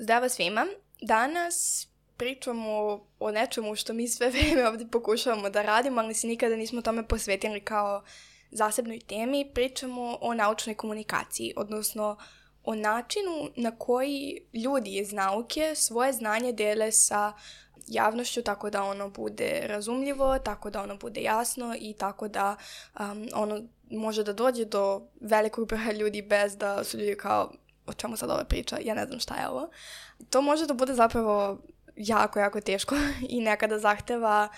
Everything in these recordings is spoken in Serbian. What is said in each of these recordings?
Zdravo svima. Danas pričamo o nečemu što mi sve vrijeme ovdje pokušavamo da radimo, ali se nikada nismo tome posvetili kao zasebnoj temi. Pričamo o naučnoj komunikaciji, odnosno o načinu na koji ljudi iz nauke svoje znanje dele sa javnošću tako da ono bude razumljivo, tako da ono bude jasno i tako da ono može da dođe do velikog broja ljudi bez da su ljudi kao o čemu sad ova priča, ja ne znam šta je ovo. To može da bude zapravo jako teško i nekada zahteva,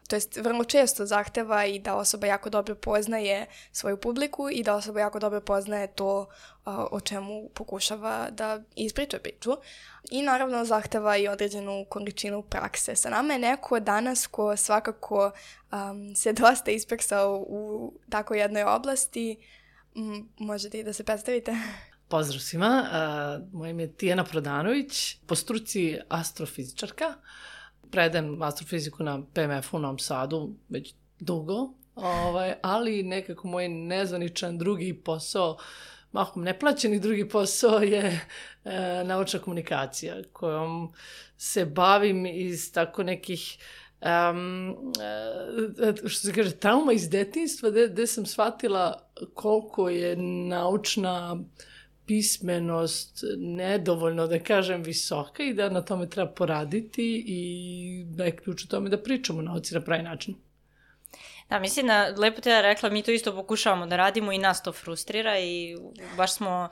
to jest vrlo često zahteva i da osoba jako dobro poznaje svoju publiku i da osoba jako dobro poznaje to o čemu pokušava da ispriča priču. I naravno zahteva i određenu količinu prakse. Sa nama je neko danas ko svakako se dosta ispeksao u tako jednoj oblasti. Možete i da se predstavite? Pozdrav svima, moje ime je Tijana Prodanović, po struci astrofizičarka. Predajem astrofiziku na PMF-u u Novom Sadu već dugo, ali nekako moj nezvaničan drugi posao, mahom neplaćeni drugi posao je naučna komunikacija kojom se bavim iz tako nekih što se kaže, trauma iz detinjstva gde sam shvatila koliko je naučna pismenost nedovoljno, da kažem, visoka i da na tome treba poraditi i da je ključ u tome da pričamo o nauci na pravi način. Da, mislim da, lepo te ja rekla, mi to isto pokušavamo da radimo i nas to frustrira i baš smo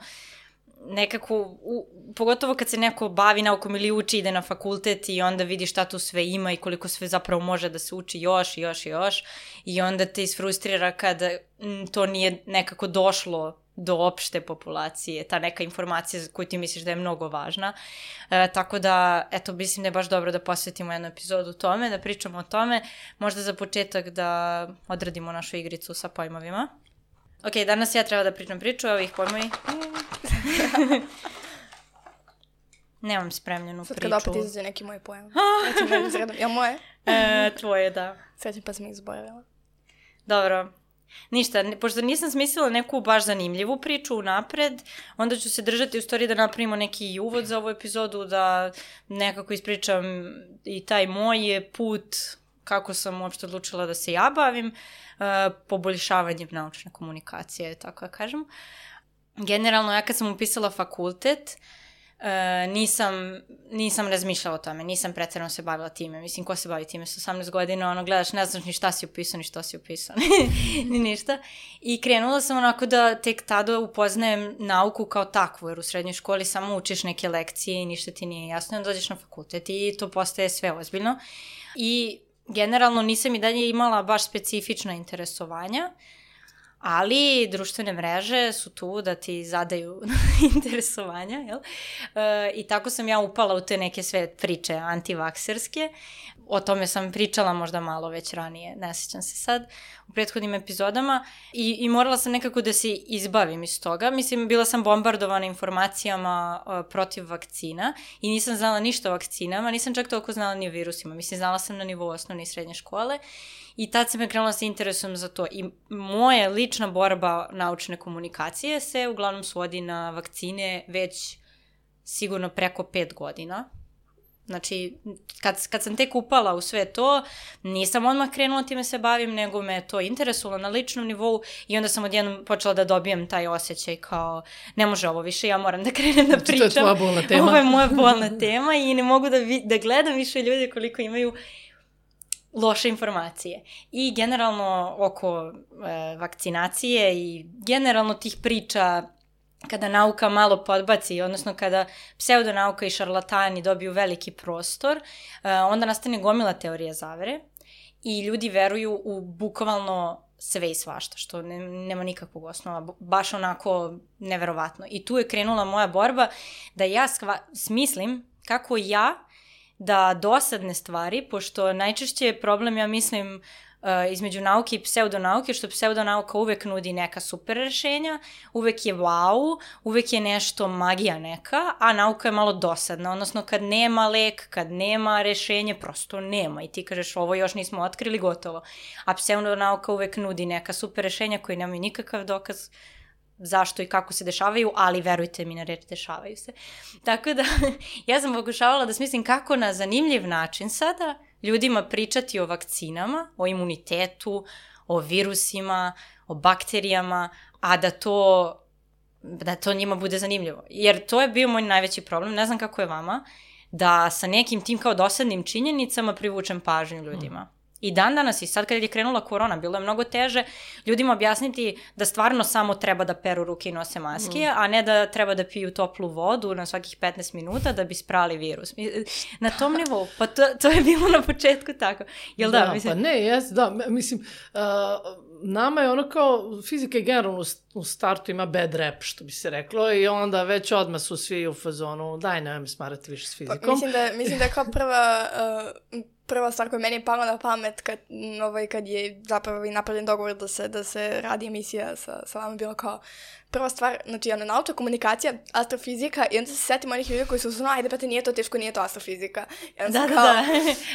nekako, pogotovo kad se neko bavi naukom ili uči, ide na fakultet i onda vidi šta tu sve ima i koliko sve zapravo može da se uči još i onda te isfrustrira kada to nije nekako došlo do opšte populacije, ta neka informacija koju ti misliš da je mnogo važna. Tako da, eto, mislim da je baš dobro da posvetimo jednu epizodu tome, da pričamo o tome, možda za početak da odradimo našu igricu sa pojmovima. Ok, danas ja treba da pričam priču, evo ih pojmovi. Nemam spremljenu priču. Sad kada opet izađe neki moj pojam. Jel moje? Tvoje, da. Srećem pa sam ih zboravila. Dobro. Ništa, pošto nisam smislila neku baš zanimljivu priču unapred, onda ću se držati u stvari da napravimo neki uvod za ovu epizodu, da nekako ispričam i taj moj put, kako sam uopšte odlučila da se ja bavim poboljšavanjem naučne komunikacije, tako da kažem. Generalno, ja kad sam upisala fakultet, nisam razmišljala o tome, nisam preterano se bavila time. Mislim, ko se bavi time sa 18 godina, ono, gledaš, ne znaš ni šta si upisao, ni što si upisao, ni ništa. I krenula sam onako da tek tada upoznajem nauku kao takvu, jer u srednjoj školi samo učiš neke lekcije i ništa ti nije jasno, onda dođeš na fakultet i to postaje sve ozbiljno. I generalno nisam i dalje imala baš specifična interesovanja, ali društvene mreže su tu da ti zadaju interesovanja, jel? I tako sam ja upala u te neke sve priče antivakserske. O tome sam pričala možda malo već ranije, ne sjećam se sad, u prethodnim epizodama. I morala sam nekako da se izbavim iz toga. Mislim, bila sam bombardovana informacijama protiv vakcina i nisam znala ništa o vakcinama, nisam čak toliko znala ni o virusima. Mislim, znala sam na nivou osnovne i srednje škole. I tad sam krenula sa interesom za to. I moja lična borba naučne komunikacije se uglavnom svodi na vakcine već sigurno preko 5 godina. Znači, kad sam tek upala u sve to, nisam odmah krenula time se bavim, nego me to interesovalo na ličnom nivou i onda sam odjednom počela da dobijem taj osjećaj kao, ne može ovo više, ja moram da krenem da pričam. To je tvoja bolna tema. Ovo je moja bolna tema i ne mogu da gledam više ljudi koliko imaju loše informacije. I generalno oko vakcinacije i generalno tih priča kada nauka malo podbaci, odnosno kada pseudonauka i šarlatani dobiju veliki prostor, onda nastane gomila teorija zavere i ljudi veruju u bukvalno sve i svašta, što nema nikakvog osnova, baš onako neverovatno. I tu je krenula moja borba da ja smislim kako ja da dosadne stvari, pošto najčešće je problem, ja mislim, između nauke i pseudonauke, što pseudonauka uvek nudi neka super rešenja, uvek je wow, uvek je nešto magija neka, a nauka je malo dosadna, odnosno kad nema lek, kad nema rešenje, prosto nema i ti kažeš ovo još nismo otkrili, gotovo. A pseudonauka uvek nudi neka super rešenja koji nemaju nikakav dokaz zašto i kako se dešavaju, ali verujte mi na reč, dešavaju se. Tako da, ja sam pokušavala da smislim kako na zanimljiv način sada ljudima pričati o vakcinama, o imunitetu, o virusima, o bakterijama, a da to njima bude zanimljivo. Jer to je bio moj najveći problem, ne znam kako je vama, da sa nekim tim kao dosadnim činjenicama privučem pažnju ljudima. I dan danas, i sad kad je krenula korona, bilo je mnogo teže ljudima objasniti da stvarno samo treba da peru ruke i nose maske, a ne da treba da piju toplu vodu na svakih 15 minuta da bi sprali virus. Na tom nivou, pa to je bilo na početku tako. Jel da? Pa ne, mislim, nama je ono kao fizika je generalno u startu ima bad rap, što bi se reklo, i onda već odmah su svi u fazonu, daj nemoj me smarati više s fizikom. Pa, mislim da je kao prva stvar koja meni je pala na pamet kad je zapravo i napravljen dogovor da se radi emisija sa vama, bilo kao prva stvar, znači naučna komunikacija, astrofizika, i onda se setim onih ljudi koji su znali, ajde pa te nije to teško, nije to astrofizika. Da.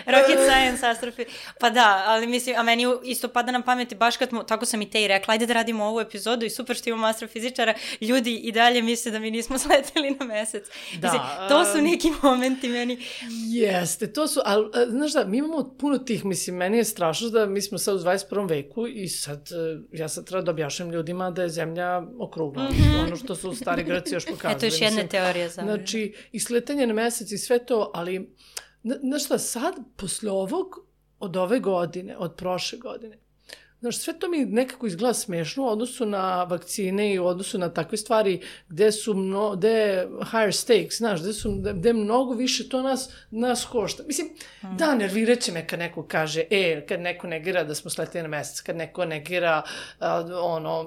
Rocket science, astrofizika. Pa da, ali mislim, a meni isto pada na pameti, baš kad tako sam i te i rekla, ajde da radimo ovu epizodu i super što imamo astrofizičara, ljudi i dalje misle da mi nismo sleteli na mesec. Da. Mislim, to su neki momenti meni. Jeste, to su, ali znaš da, mi imamo puno tih, mislim, meni je strašno da mi smo sad u 21. veku i sad, ja sad treba da objašnjam ljudima da je zemlja okrugla. Ono što su stari Grci još pokazali. Eto još jedna teorija za mene. Znači, i sletanje na mesec i sve to, ali, znaš šta, sad, posle ovog, od ove godine, od prošle godine, znaš, sve to mi nekako izgleda smešno u odnosu na vakcine i u odnosu na takve stvari gde je higher stakes, znaš, gde mnogo više to nas košta. Mislim, da, nervirat će me kad neko kaže, kad neko negira da smo sletili na mesec, kad neko negira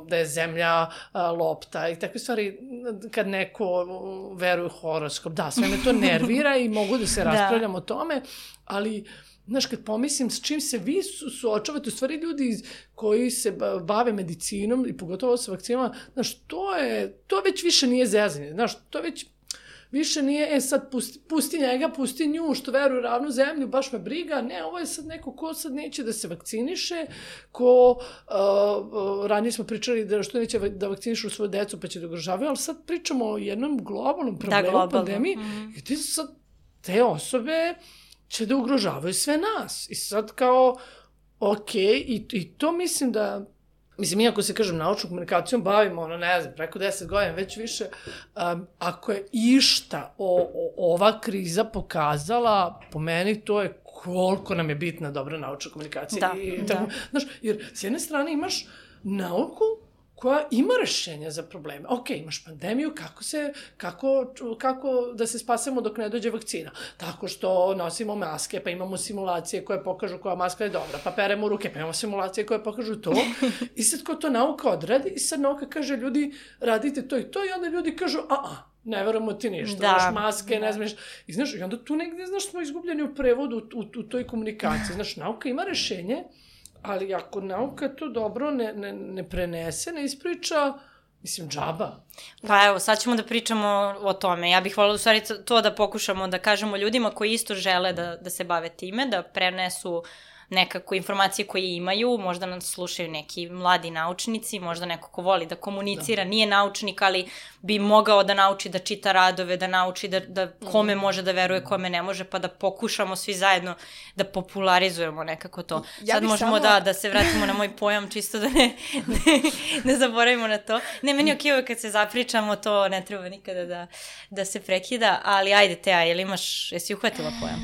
da je zemlja lopta i takve stvari, kad neko veruje u horoskop. Da, sve me to nervira i mogu da se raspravljam o tome, ali znaš, kad pomislim s čim se vi suočavate, u stvari ljudi koji se bave medicinom i pogotovo sa vakcinama, znaš, to već više nije zezanje, znaš, to već više nije, sad pusti njega, pusti nju, što veruje u ravnu zemlju, baš me briga, ne, ovo je sad neko ko sad neće da se vakciniše, ko, ranije smo pričali da što neće da vakcinišu svoju decu pa će da ugrožavaju, ali sad pričamo o jednom globalnom problemu, pandemiji, gdje sad te osobe će da ugrožavaju sve nas. I sad kao, i to mislim da, mislim, iako se, kažem, naučnom komunikacijom bavimo, ne znam, preko 10 godina, već više, ako je išta ova kriza pokazala, po meni to je koliko nam je bitna dobra naučna komunikacija. Da. Znaš, jer s jedne strane imaš nauku koja ima rešenja za probleme. Imaš pandemiju, kako da se spasemo dok ne dođe vakcina? Tako što nosimo maske, pa imamo simulacije koje pokažu koja maska je dobra, pa peremo ruke, pa imamo simulacije koje pokažu to. I sad ko to nauka odradi, i sad nauka kaže, ljudi, radite to i to, i onda ljudi kažu, ne verujemo ti ništa, imaš maske, ne znaš. I znaš, i onda tu negdje, znaš, smo izgubljeni u prevodu u toj komunikaciji. Znaš, nauka ima rešenje, ali ako nauka to dobro ne prenese, ne ispriča, mislim, džaba. Pa evo, sad ćemo da pričamo o tome. Ja bih voljela u stvari to da pokušamo da kažemo ljudima koji isto žele da se bave time, da prenesu nekako informacije koje imaju, možda nas slušaju neki mladi naučnici, možda neko ko voli da komunicira, nije naučnik, ali bi mogao da nauči da čita radove, da nauči da kome može da veruje, kome ne može, pa da pokušamo svi zajedno da popularizujemo nekako to. Sad možemo da se vratimo na moj pojam, čisto da ne zaboravimo na to. Ne, meni je okej kad se zapričamo, to ne treba nikada da se prekida, ali ajde Teja, jesi uhvatila pojam?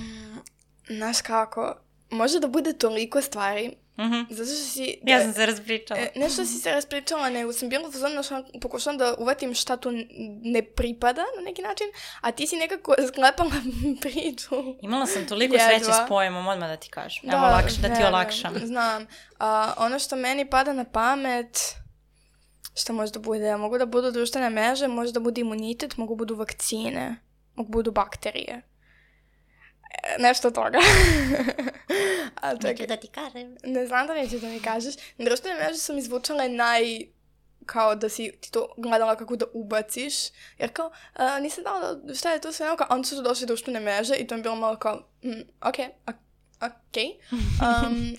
Znaš kako, može da bude toliko stvari, zato što si... Ja sam se raspričala. Nešto si se raspričala, nego sam bila pokušala da uvatim šta tu ne pripada na neki način, a ti si nekako sklepala priču. Imala sam toliko sreće s pojemom, odmah da ti kažem. Evo, da ti olakšam. Znam. Ono što meni pada na pamet, šta može da bude? Mogu da budu društvene mreže, može da bude imunitet, mogu budu vakcine, mogu budu bakterije. Nešto od toga. Neću da ti kažem. Ne znam da neću da mi kažeš. Društvene mreže sam izvučala kao da si ti to gledala kako da ubaciš. Jer kao, nisam dala šta je to sve nauka, onda su došli društvene mreže i to je bilo malo kao, ok,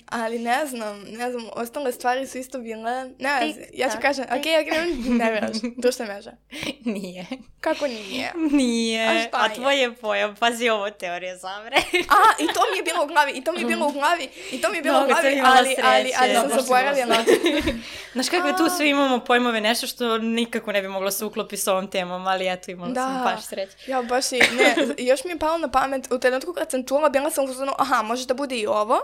ali ne znam, ostale stvari su isto bile, ja ću kažem, ne mreže, društvene mreže. Nije. Kako nije? Nije. A šta je? A tvoj je pojam, pazi ovo teorije zavere. I to mi je bilo u glavi, ali sam zaboravila. Znaš kako tu svi imamo pojmove, nešto što nikako ne bi moglo se uklopiti s ovom temom, ali eto imala sam baš sreće. Ja, baš i, još mi je palo na pamet, u trenutku kad sam čula, bila sam uzmano, može da bude i ovo.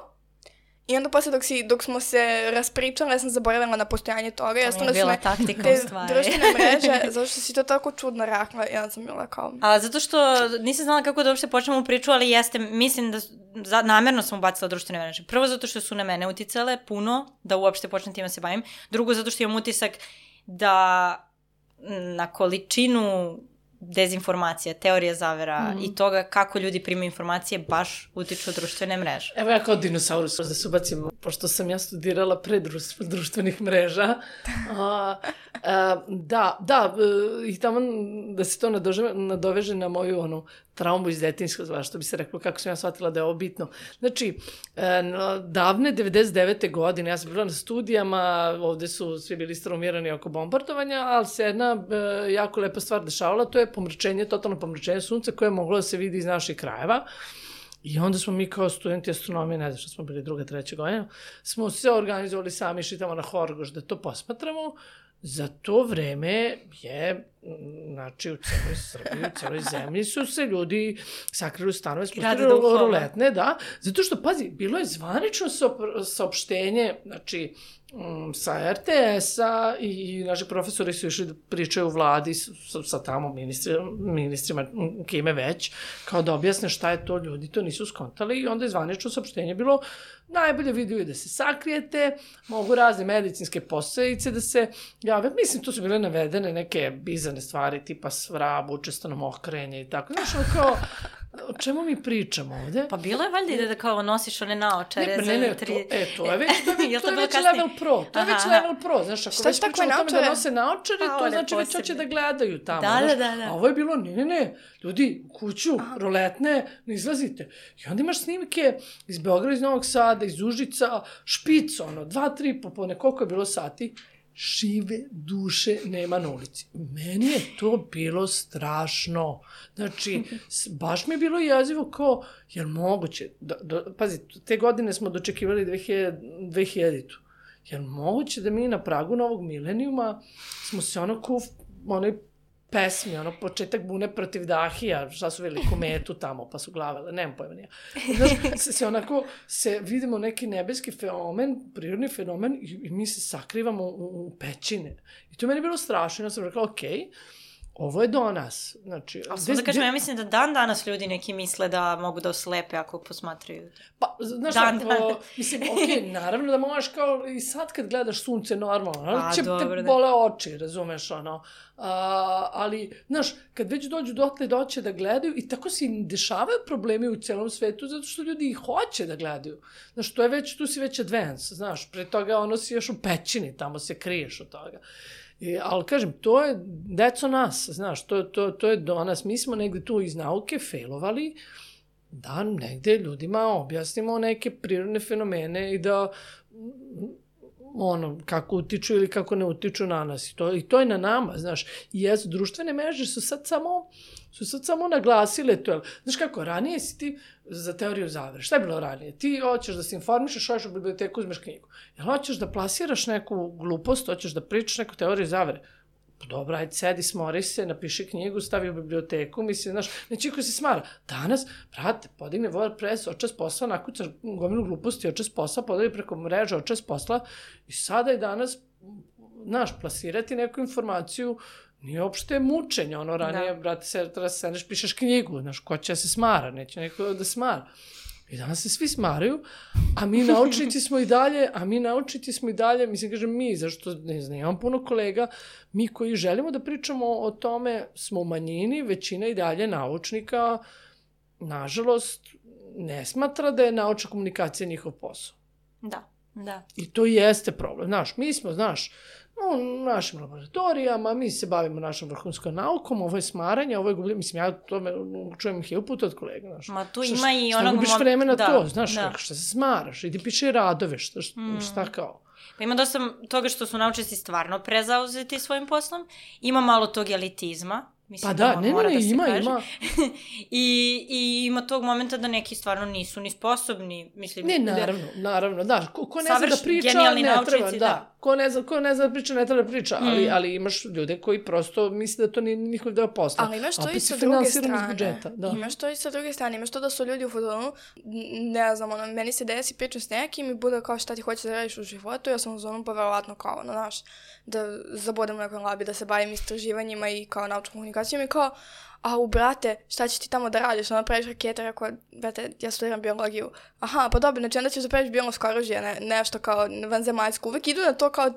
I onda posle dok smo se raspričali, ja sam zaboravila na postojanje toga. To mi je bila taktika u stvari. Društvene mreže, zato što si to tako čudno rekla, ja sam bila kao... A zato što nisam znala kako da uopšte počnemo priču, ali mislim da namerno sam ubacila društvene mreže. Prvo zato što su na mene uticale puno, da uopšte počnem time se bavim. Drugo zato što imam utisak da na količinu dezinformacija, teorija zavera i toga kako ljudi primaju informacije baš utiču društvene mreže. Evo ja kao dinosaurus da se ubacim, pošto sam ja studirala pre društvenih mreža. I tamo da se to nadoveže na moju traumu iz detinjstva, što bi se reklo, kako sam ja shvatila da je ovo bitno. Znači, davne 99. godine, ja sam bila na studijama, ovde su svi bili straumirani oko bombardovanja, ali se jedna jako lepa stvar dešavala, to je totalno pomračenje sunca koje je moglo da se vidi iz naših krajeva. I onda smo mi kao studenti astronomije, ne znam što smo bili 2. 3. godina, smo se organizovali sami, išli tamo na Horgoš da to posmatramo. Za to vreme je, znači u celoj Srbiji, u celoj zemlji su se ljudi sakrili u stanove, spustili ruletne, da. Zato što, pazi, bilo je zvanično saopštenje, znači, sa RTS-a i naši profesori su išli da pričaju u vladi sa tamo ministrima, kime već, kao da objasne šta je to, ljudi to nisu skontali i onda je zvanično saopštenje bilo najbolje video je da se sakrijete, mogu razne medicinske posledice da se jave. Mislim, tu su bile navedene neke bizarne stvari, tipa svrab, učestano mokrenje i tako. Znaš, kao, o čemu mi pričamo ovde? Pa bilo je valjda da kao nosiš one naočare za 3... to je već level pro. To je već level pro. Znaš, ako već pričamo o tome da nose naočare, to znači već hoće da gledaju tamo. Da. A ovo je bilo, ne, ljudi, u kuću, roletne, ne izlazite. I onda imaš snimke iz Beograda, iz Novog Sada, iz Užica, špic, 2, 3, popodne, koliko je bilo sati, žive duše nema na ulici. Meni je to bilo strašno. Znači, baš mi je bilo jezivo kao, jel moguće, pazi, te godine smo dočekivali 2000-tu. Jel moguće da mi na pragu novog milenijuma smo se onoj pesmi, početak bune protiv Dahija, šta su veli kometu tamo, pa su glavele, nemam pojma nija. Znaš, vidimo neki nebeski fenomen, prirodni fenomen i mi se sakrivamo u pećine. I to meni je bilo strašno, ja sam rekla, okej, ovo je do nas. Znači, a samo da kažem, ja mislim da danas ljudi neki misle da mogu da oslepe ako posmatraju. Pa, znaš, mislim, naravno da možeš kao i sad kad gledaš sunce normalno, će te bole oči, razumeš, ali, znaš, kad već dođu dotle doće da gledaju i tako se dešavaju problemi u celom svetu zato što ljudi i hoće da gledaju. Znaš, tu si već advance, znaš, pre toga si još u pećini, tamo se kriješ od toga. Ali kažem, to je deco nas, znaš, to je do nas. Mi smo negde tu iz nauke failovali da negde ljudima objasnimo neke prirodne fenomene i da kako utiču ili kako ne utiču na nas. I to je na nama, znaš. I društvene mreže su sad samo naglasile to. Znaš kako, ranije si ti za teoriju zavere. Šta je bilo ranije? Ti hoćeš da se informišeš, hoćeš u biblioteku, uzmeš knjigu. Jel hoćeš da plasiraš neku glupost, hoćeš da pričaš neku teoriju zavere? Dobro, ajde, sedi, smori se, napiši knjigu, stavi u biblioteku, mislim, znaš, neći ko se smara. Danas, brate, podigne WordPress, očas posla, nakucaš gomilu gluposti, očas posla, podali preko mreža, očas posla i sada i danas, znaš, plasirati neku informaciju nije uopšte mučenje, ranije, brate, treba se sedneš, pišeš knjigu, znaš, ko će se smara, neće neko da smara. I danas se svi smaraju, a mi naučnici smo i dalje, mislim, kažem mi, zašto, ne znam, imam puno kolega, mi koji želimo da pričamo o tome smo u manjini, većina i dalje naučnika, nažalost, ne smatra da je naučna komunikacija njihov posao. Da. Da. I to jeste problem. Znaš, mi smo, u našim laboratorijama, mi se bavimo našom vrhunskom naukom, ovo je smaranje, ovo je gubljenje, mislim, ja tome čujem hiljadu puta od kolega, znaš. Ma tu ima i onog... Šta gubiš vreme na to, znaš, šta se smaraš, idi piši radove, šta kao. Pa ima dosta toga što su naučnici stvarno prezauzeti svojim poslom, ima malo tog elitizma, mislim, pa da, ima. I ima tog momenta da neki stvarno nisu ni sposobni, mislim... Ne, naravno, da, ko ne zna da priča, ne treba, da. Ko ne zna da priča, ne treba da priča, ali imaš ljude koji prosto misle da to nije njihov deo posla. Ali imaš to i sa druge strane, imaš to da su ljudi u fudbalu, ne znam, meni se desi pričam s nekim i bude kao šta ti hoćeš da radiš u životu, ja sam u zonu pa verovatno kao, znaš, da zabodem u nekoj labi, da se bavim istraživanjima i kao naučnom komunikacijom i kao, brate, šta ćeš ti tamo da radiš? Onda praviš rakete, rekao, brate, ja studiram biologiju. Aha, pa dobro, znači onda ćeš da praviš biološko oružje, nešto kao vanzemaljsko. Uvek idu na to kao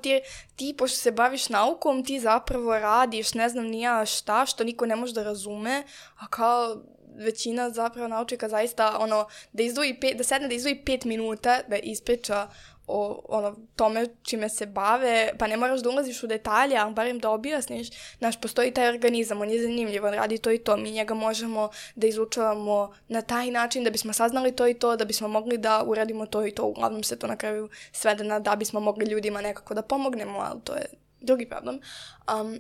ti, pošto se baviš naukom, ti zapravo radiš, ne znam ni ja šta, što niko ne može da razume, a kao većina zapravo naučnika zaista, da sedne da izdvoji 5 minuta, da ispriča o tome čime se bave, pa ne moraš da ulaziš u detalje, ali barem da objasniš, postoji taj organizam, on je zanimljiv, on radi to i to, mi njega možemo da izučavamo na taj način da bismo saznali to i to, da bismo mogli da uradimo to i to, uglavnom se to na kraju svede da bismo mogli ljudima nekako da pomognemo, ali to je drugi problem.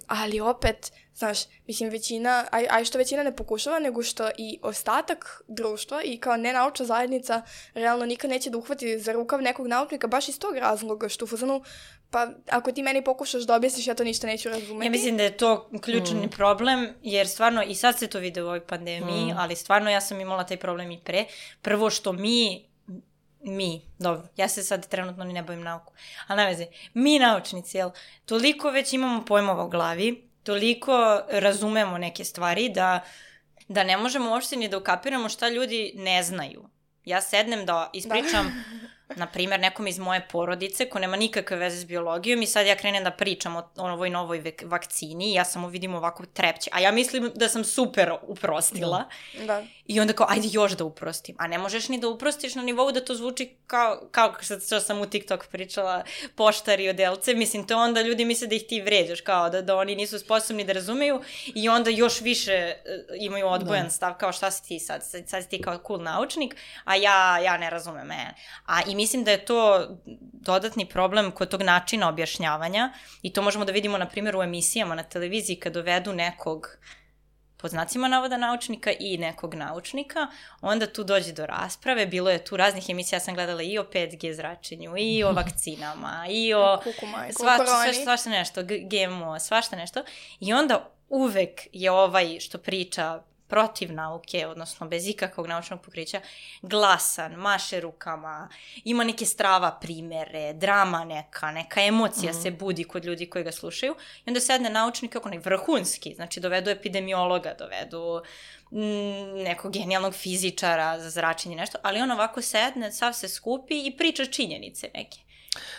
Ali opet, mislim, većina, što većina ne pokušava, nego što i ostatak društva i kao nenaučna zajednica realno nikad neće da uhvati za rukav nekog naučnika baš iz tog razloga, što u fazonu, pa ako ti meni pokušaš da objasniš, ja to ništa neću razumeti. Ja mislim da je to ključni problem, jer stvarno, i sad se to vide u ovoj pandemiji, ali stvarno ja sam imala taj problem i pre. Prvo što dobro, ja se sad trenutno ni ne bavim nauku, ali ne veze, mi naučnici, toliko već imamo pojmova u glavi, toliko razumemo neke stvari da ne možemo uopšte ni da ukapiramo šta ljudi ne znaju. Ja sednem da ispričam, na primjer, nekom iz moje porodice ko nema nikakve veze s biologijom i sad ja krenem da pričam o ovoj novoj vakcini i ja samo vidim ovako trepće, a ja mislim da sam super uprostila. Da. I onda kao, ajde još da uprostim. A ne možeš ni da uprostiš na nivou da to zvuči kao što sam u TikTok pričala, poštari odelce. Mislim, to onda ljudi misle da ih ti vređaš, kao da oni nisu sposobni da razumeju i onda još više imaju odbojan stav, kao šta si ti sad si ti kao cool naučnik, a ja ne razumem. I mislim da je to dodatni problem kod tog načina objašnjavanja i to možemo da vidimo, na primjer, u emisijama na televiziji kad dovedu nekog, pod znacima navoda, naučnika i nekog naučnika, onda tu dođe do rasprave. Bilo je tu raznih emisija, ja sam gledala i o 5G zračenju, i o vakcinama, i o svašta nešto, GMO, svašta nešto. I onda uvek je ovaj što priča protiv nauke, odnosno bez ikakvog naučnog pokrića, glasan, maše rukama, ima neke strava primere, drama neka emocija se budi kod ljudi koji ga slušaju i onda sedne naučnik kako vrhunski, znači dovedu epidemiologa, dovedu nekog genijalnog fizičara za zračenje nešto, ali on ovako sedne, sav se skupi i priča činjenice neke.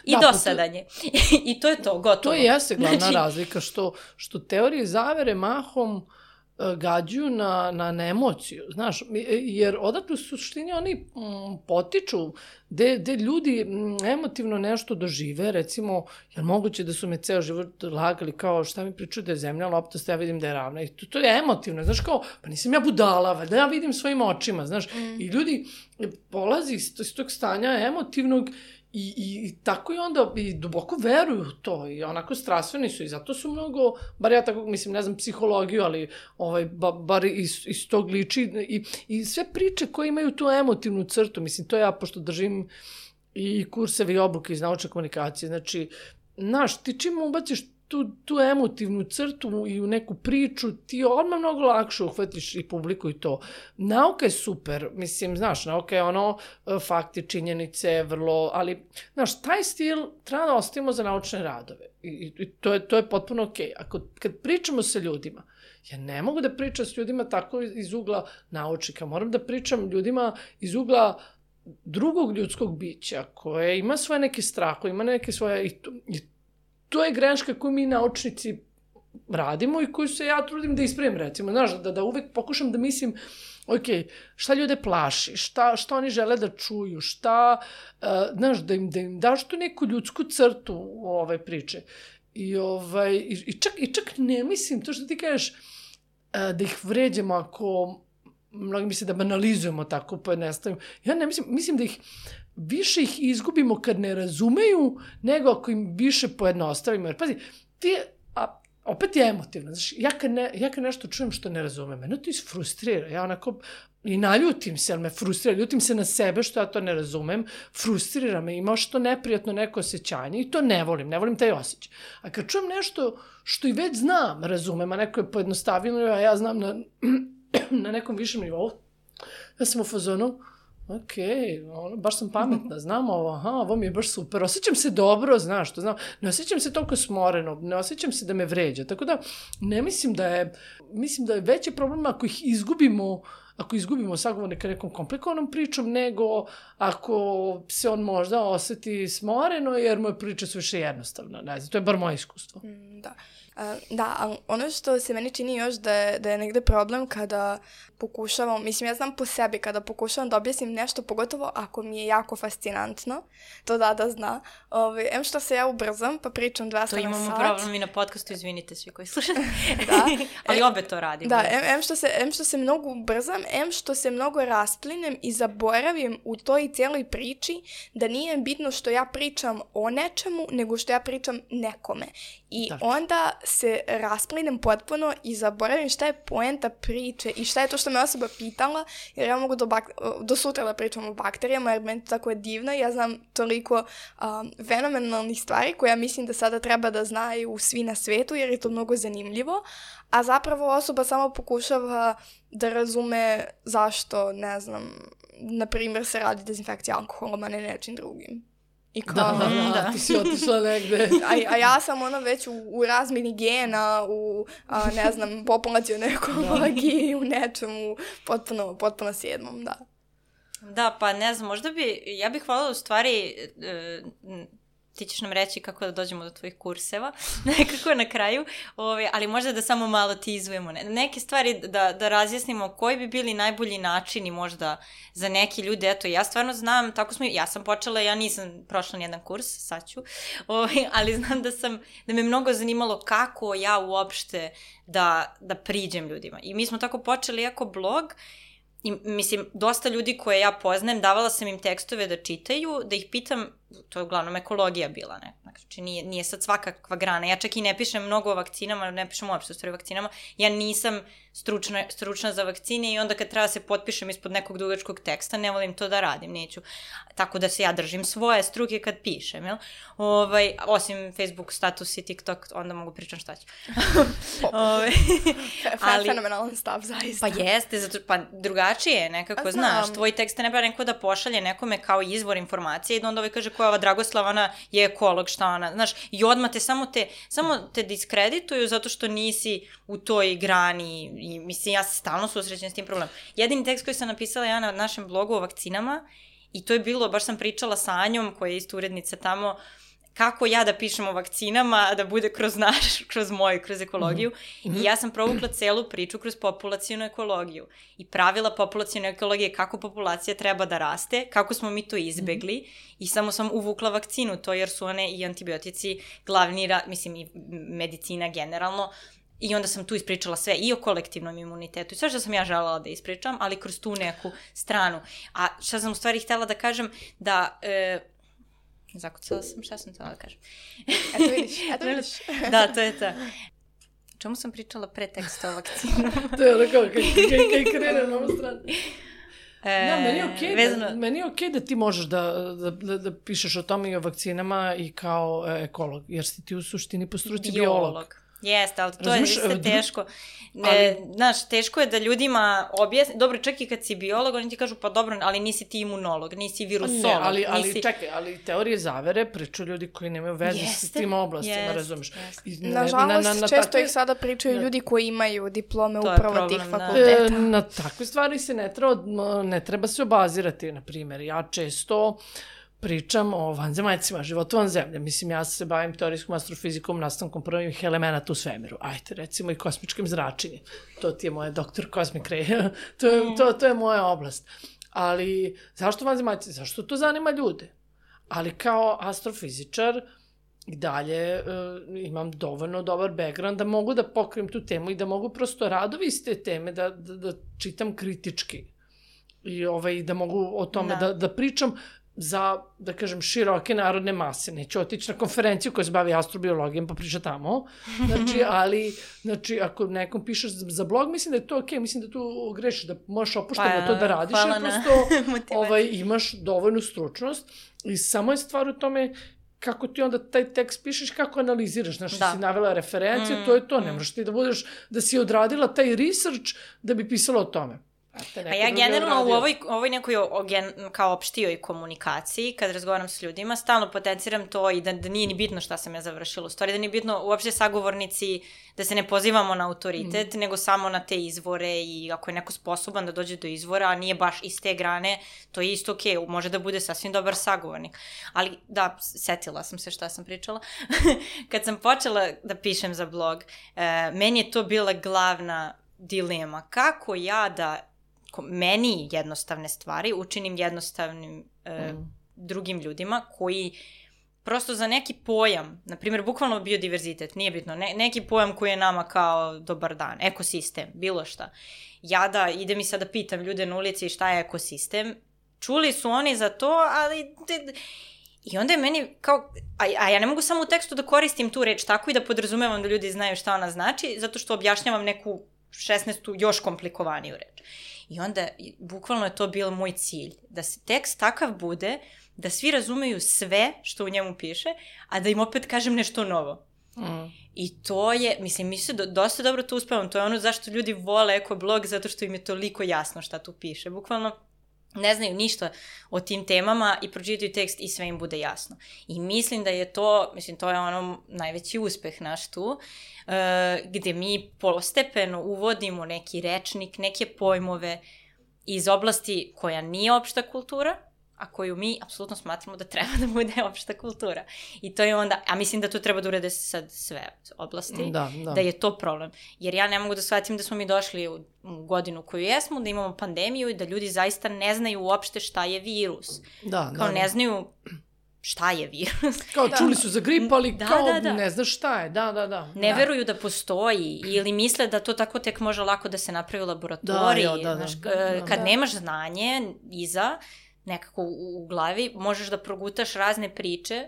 I dosadanje. I to je to, gotovo. To jeste glavna razlika, što teorije zavere mahom gađuju na emociju, znaš, jer odatle u suštini oni potiču gde ljudi emotivno nešto dožive, recimo, jer moguće da su me ceo život lagali kao šta mi pričaju da je zemlja loptasta, ja vidim da je ravna i to je emotivno, znaš, kao, pa nisam ja budala, da ja vidim svojim očima, znaš, i ljudi polazi iz tog stanja emotivnog i tako i onda i duboko veruju u to i onako strastveni su i zato su mnogo, bar ja tako mislim, ne znam psihologiju, ali bar iz tog liči i sve priče koje imaju tu emotivnu crtu, mislim, to ja pošto držim i kursevi i obuke iz naučne komunikacije, znači, znaš, ti čim ubaciš tu emotivnu crtu i u neku priču, ti odmah mnogo lakše uhvatiš i publiku i to. Nauka je super, mislim, znaš, nauka je fakti, činjenice, vrlo, ali, znaš, taj stil treba da ostavimo za naučne radove i to je potpuno okej. Kad pričamo sa ljudima, ja ne mogu da pričam s ljudima tako iz ugla naučnika, moram da pričam ljudima iz ugla drugog ljudskog bića koje ima svoje neke strahove, ima neke svoje i to je greška koju mi naučnici radimo i koju se ja trudim da ispravim, recimo, znaš, da uvek pokušam da mislim ok, šta ljude plaši, šta oni žele da čuju, šta, znaš, da im daš tu neku ljudsku crtu ove priče. I čak ne mislim, to što ti kažeš, da ih vređamo ako, mnogi misle da banalizujemo tako, pojednostavimo. Ja ne mislim da više ih izgubimo kad ne razumeju, nego ako im više pojednostavimo. Jer pazi, opet je emotivno. Znaš, ja kad nešto čujem što ne razumem, mene to isfrustrira. Ja onako i naljutim se, ali me frustrira. Ljutim se na sebe što ja to ne razumem. Frustrira me, ima što neprijatno neko osjećanje i to ne volim taj osjećaj. A kad čujem nešto što i već znam, razumem, a neko je pojednostavljeno, a ja znam na nekom višem nivou, ja sam u fazonu, ok, baš sam pametna, znam ovo mi je baš super, osjećam se dobro, znaš što znam, ne osjećam se toliko smoreno, ne osjećam se da me vređa, tako da ne mislim da je veći problem ako ih izgubimo sagovornika nekom komplikovanom pričom, nego ako se on možda osjeti smoreno jer moje priče su više jednostavne, ne znam, to je bar moje iskustvo. Da. Da, ono što se meni čini još da je negde problem kada pokušavam, mislim ja znam po sebi, kada pokušavam da objasnim nešto, pogotovo ako mi je jako fascinantno, to da zna, em što se ja ubrzam pa pričam 200 na sat. To imamo problem i na podcastu, izvinite svi koji slušate. Da. Ali obe to radimo. Da, em što se mnogo ubrzam, em što se mnogo rasplinem i zaboravim u toj cijeloj priči da nije bitno što ja pričam o nečemu, nego što ja pričam nekome. I onda se rasplinem potpuno i zaboravim šta je poenta priče i šta je to što me osoba pitala, jer ja mogu do sutra da pričam o bakterijama, jer meni to tako je divno i ja znam toliko fenomenalnih stvari koje ja mislim da sada treba da znaju svi na svetu, jer je to mnogo zanimljivo, a zapravo osoba samo pokušava da razume zašto, ne znam, na primjer se radi dezinfekcija alkoholom, a ne nečim drugim. Da, ti si otišla negde. A ja sam već u razmini gena, u, ne znam, populacionoj ekologiji, u nečemu potpuno sedmom, da. Da, pa ne znam, ja bih hvala u stvari, ti ćeš nam reći kako da dođemo do tvojih kurseva, nekako na kraju, ali možda da samo malo tizujemo neke stvari, da razjasnimo koji bi bili najbolji načini možda za neki ljude. Eto, ja stvarno znam, ja sam počela, ja nisam prošla nijedan kurs, sad ću, ali znam da me mnogo zanimalo kako ja uopšte da priđem ljudima. I mi smo tako počeli jako blog. I, mislim, dosta ljudi koje ja poznajem, davala sam im tekstove da čitaju, da ih pitam, to je uglavnom ekologija bila, ne? Znači, nije sad svakakva grana. Ja čak i ne pišem mnogo o vakcinama, ne pišem uopšte o stvari vakcinama. Ja nisam stručna za vakcine i onda kad treba se potpišem ispod nekog dugačkog teksta, ne volim to da radim, neću. Tako da se ja držim svoje struke kad pišem, jel? Osim Facebook status i TikTok, onda mogu pričam šta ću. Fenomenalan stav, zaista. Pa jeste, pa drugačije je nekako, znaš, tvoj tekst ne treba neko da pošalje nekome kao izvor informacije i da onda kaže koja je ova Dragoslava, ona je ekolog, šta ona, znaš, i odmah te samo te diskredituju zato što nisi u toj grani i mislim, ja se stalno susrećem s tim problemom. Jedini tekst koji sam napisala ja na našem blogu o vakcinama i to je bilo, baš sam pričala sa Anjom, koja je isto urednica tamo, kako ja da pišem o vakcinama, da bude kroz ekologiju. I ja sam provukla celu priču kroz populacijnu ekologiju. I pravila populacijne ekologije, kako populacija treba da raste, kako smo mi to izbegli. I samo sam uvukla vakcinu, to jer su one i antibiotici glavni, mislim i medicina generalno. I onda sam tu ispričala sve i o kolektivnom imunitetu i sve što sam ja želela da ispričam, ali kroz tu neku stranu. A šta sam u stvari htjela da kažem, da... Zakucala sam, šta sam htjela da kažem? Eto vidiš. Da, to je to. Čemu sam pričala pre teksta o vakcinu? To je ono kao, kaj krene na ovu stranu. Meni je okej da ti možeš da pišeš o tome i o vakcinama i kao ekolog, jer si ti u suštini po struci biolog. Jeste, ali to je isto teško. Znaš, teško je da ljudima objasni, dobro, čak i kad si biolog, oni ti kažu, pa dobro, ali nisi ti imunolog, nisi virusolog. Ali čekaj, ali teorije zavere pričaju ljudi koji nemaju veze s tim oblastima, razumiješ? Nažalost, često ih sada pričaju ljudi koji imaju diplome upravo tih fakulteta. Na takve stvari se ne treba se obazirati, na primjer. Ja često pričam o vanzemaljcima, životu van zemlje. Mislim, ja se bavim teorijskom astrofizikom, nastankom prvih elemenata u svemiru. Ajde, recimo i kosmičkim zračenjem. To ti je moje doktor Cosmic Ray. To je moja oblast. Ali zašto vanzemaljci? Zašto to zanima ljude? Ali kao astrofizičar i dalje imam dovoljno dobar background da mogu da pokrijem tu temu i da mogu prosto radovi iz te teme da čitam kritički. I da mogu o tome da pričam za, da kažem, široke narodne mase. Neću otići na konferenciju koja se bavi astrobiologijom pa priča tamo. Znači, ako nekom pišeš za blog, mislim da je to okej, mislim da tu grešiš, da možeš opušteno to da radiš, jer prosto imaš dovoljnu stručnost i samo je stvar u tome kako ti onda taj tekst pišeš, kako analiziraš, znaš, si navela referencije, to je to, ne možeš ti da budeš, da si odradila taj research da bi pisala o tome. A ja generalno u ovoj nekoj kao opštijoj komunikaciji, kad razgovaram s ljudima, stalno potenciram to i da nije ni bitno šta sam ja završila. U stvari da nije bitno uopšte sagovornici, da se ne pozivamo na autoritet, nego samo na te izvore i ako je neko sposoban da dođe do izvora, a nije baš iz te grane, to je isto okej, može da bude sasvim dobar sagovornik. Ali da, setila sam se šta sam pričala. Kad sam počela da pišem za blog, meni je to bila glavna dilema. Kako ja da meni jednostavne stvari učinim jednostavnim drugim ljudima koji prosto za neki pojam, na primjer bukvalno biodiverzitet, nije bitno, neki pojam koji je nama kao dobar dan, ekosistem, bilo šta. Ja da idem i sada pitam ljude na ulici šta je ekosistem, čuli su oni za to, ali... I onda je meni kao, a ja ne mogu samo u tekstu da koristim tu reč tako i da podrazumevam da ljudi znaju šta ona znači, zato što objašnjavam neku 16. još komplikovaniju reč. I onda, bukvalno je to bio moj cilj, da se tekst takav bude, da svi razumeju sve što u njemu piše, a da im opet kažem nešto novo. I to je, mislim, mi se dosta dobro to uspevam, to je ono zašto ljudi vole ekoblog, zato što im je toliko jasno šta tu piše. Bukvalno ne znaju ništa o tim temama i pročitaju tekst i sve im bude jasno. I mislim da je to, mislim, to je ono najveći uspeh naš tu, gde mi postepeno uvodimo neki rečnik, neke pojmove iz oblasti koja nije opšta kultura, a koju mi apsolutno smatramo da treba da bude opšta kultura. I to je onda, a mislim da to treba da urede sad sve oblasti, da je to problem. Jer ja ne mogu da shvatim da smo mi došli u godinu koju jesmo, da imamo pandemiju i da ljudi zaista ne znaju uopšte šta je virus. Kao ne znaju šta je virus. Kao čuli su za grip, ali kao ne znaš šta je. Ne veruju da postoji ili misle da to tako tek može lako da se napravi u laboratoriji. Kad nemaš znanje iza, nekako u glavi, možeš da progutaš razne priče.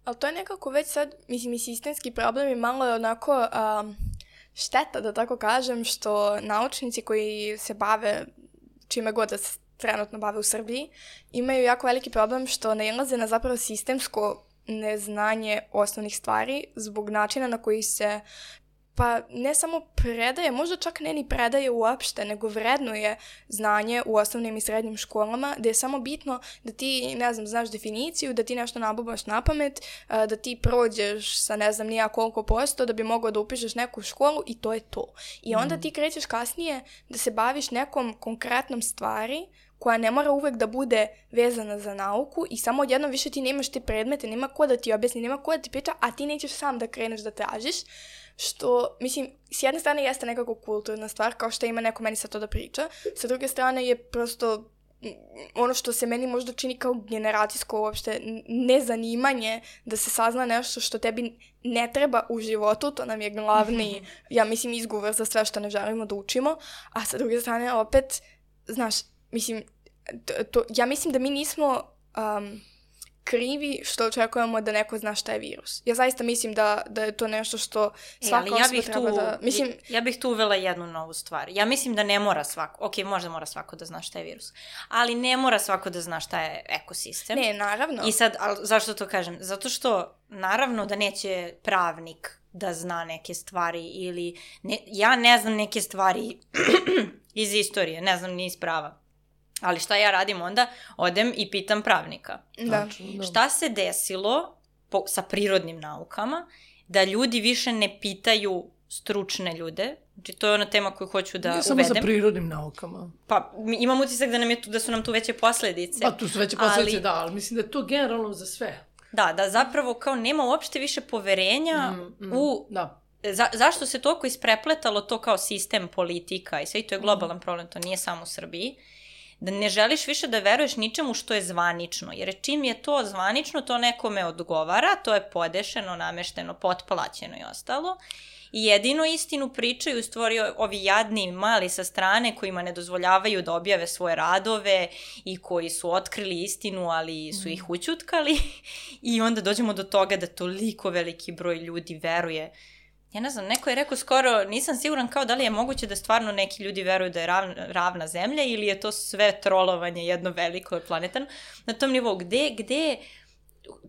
Ali to je nekako već sad, mislim, i sistemski problem i malo je onako šteta, da tako kažem, što naučnici koji se bave čime god da se trenutno bave u Srbiji, imaju jako veliki problem što nailaze na zapravo sistemsko neznanje osnovnih stvari zbog načina na koji se pa ne samo predaje, možda čak ne ni predaje uopšte, nego vrednuje znanje u osnovnim i srednjim školama, da je samo bitno da ti, ne znam, znaš definiciju, da ti nešto nabubaš na pamet, da ti prođeš sa ne znam nija koliko posto da bi mogao da upišeš neku školu i to je to. I onda ti krećeš kasnije da se baviš nekom konkretnom stvari koja ne mora uvek da bude vezana za nauku i samo odjednom više ti nemaš te predmete, nema ko da ti objasni, nema ko da ti priča, a ti nećeš sam da kreneš da tražiš. Što, mislim, s jedne strane jeste nekako kulturna stvar, kao što ima neko meni sad to da priča, sa druge strane je prosto ono što se meni možda čini kao generacijsko uopšte nezanimanje da se sazna nešto što tebi ne treba u životu, to nam je glavni, ja mislim, izgovor za sve što ne želimo da učimo, a sa druge strane opet, znaš, mislim, ja mislim da mi nismo krivi što očekujemo da neko zna šta je virus. Ja zaista mislim da je to nešto što svaka osoba treba da... Mislim... Ja bih tu uvela jednu novu stvar. Ja mislim da ne mora svako, možda mora svako da zna šta je virus, ali ne mora svako da zna šta je ekosistem. Ne, naravno. I sad, zašto to kažem? Zato što, naravno da neće pravnik da zna neke stvari ili... ja ne znam neke stvari iz istorije, ne znam ni iz prava. Ali šta ja radim onda? Odem i pitam pravnika. Da. Šta se desilo sa prirodnim naukama da ljudi više ne pitaju stručne ljude. Znači, to je ona tema koju hoću da uvedem. Nije samo sa prirodnim naukama. Pa, imam utisak da su nam tu veće posledice. Pa, tu su veće posledice, da, ali mislim da je to generalno za sve. Da zapravo kao nema uopšte više poverenja u... Da. Zašto se toliko isprepletalo to kao sistem, politika i sve, i to je globalan problem, to nije samo u Srbiji, da ne želiš više da veruješ ničemu što je zvanično, jer čim je to zvanično, to nekome odgovara, to je podešeno, namešteno, potplaćeno i ostalo, i jedino istinu pričaju stvari ovi jadni mali sa strane kojima ne dozvoljavaju da objave svoje radove i koji su otkrili istinu, ali su ih ućutkali i onda dođemo do toga da toliko veliki broj ljudi veruje. Ja ne znam, neko je rekao skoro, nisam siguran kao da li je moguće da stvarno neki ljudi veruju da je ravna zemlja ili je to sve trolovanje jedno veliko planetarno. Na tom nivou, gde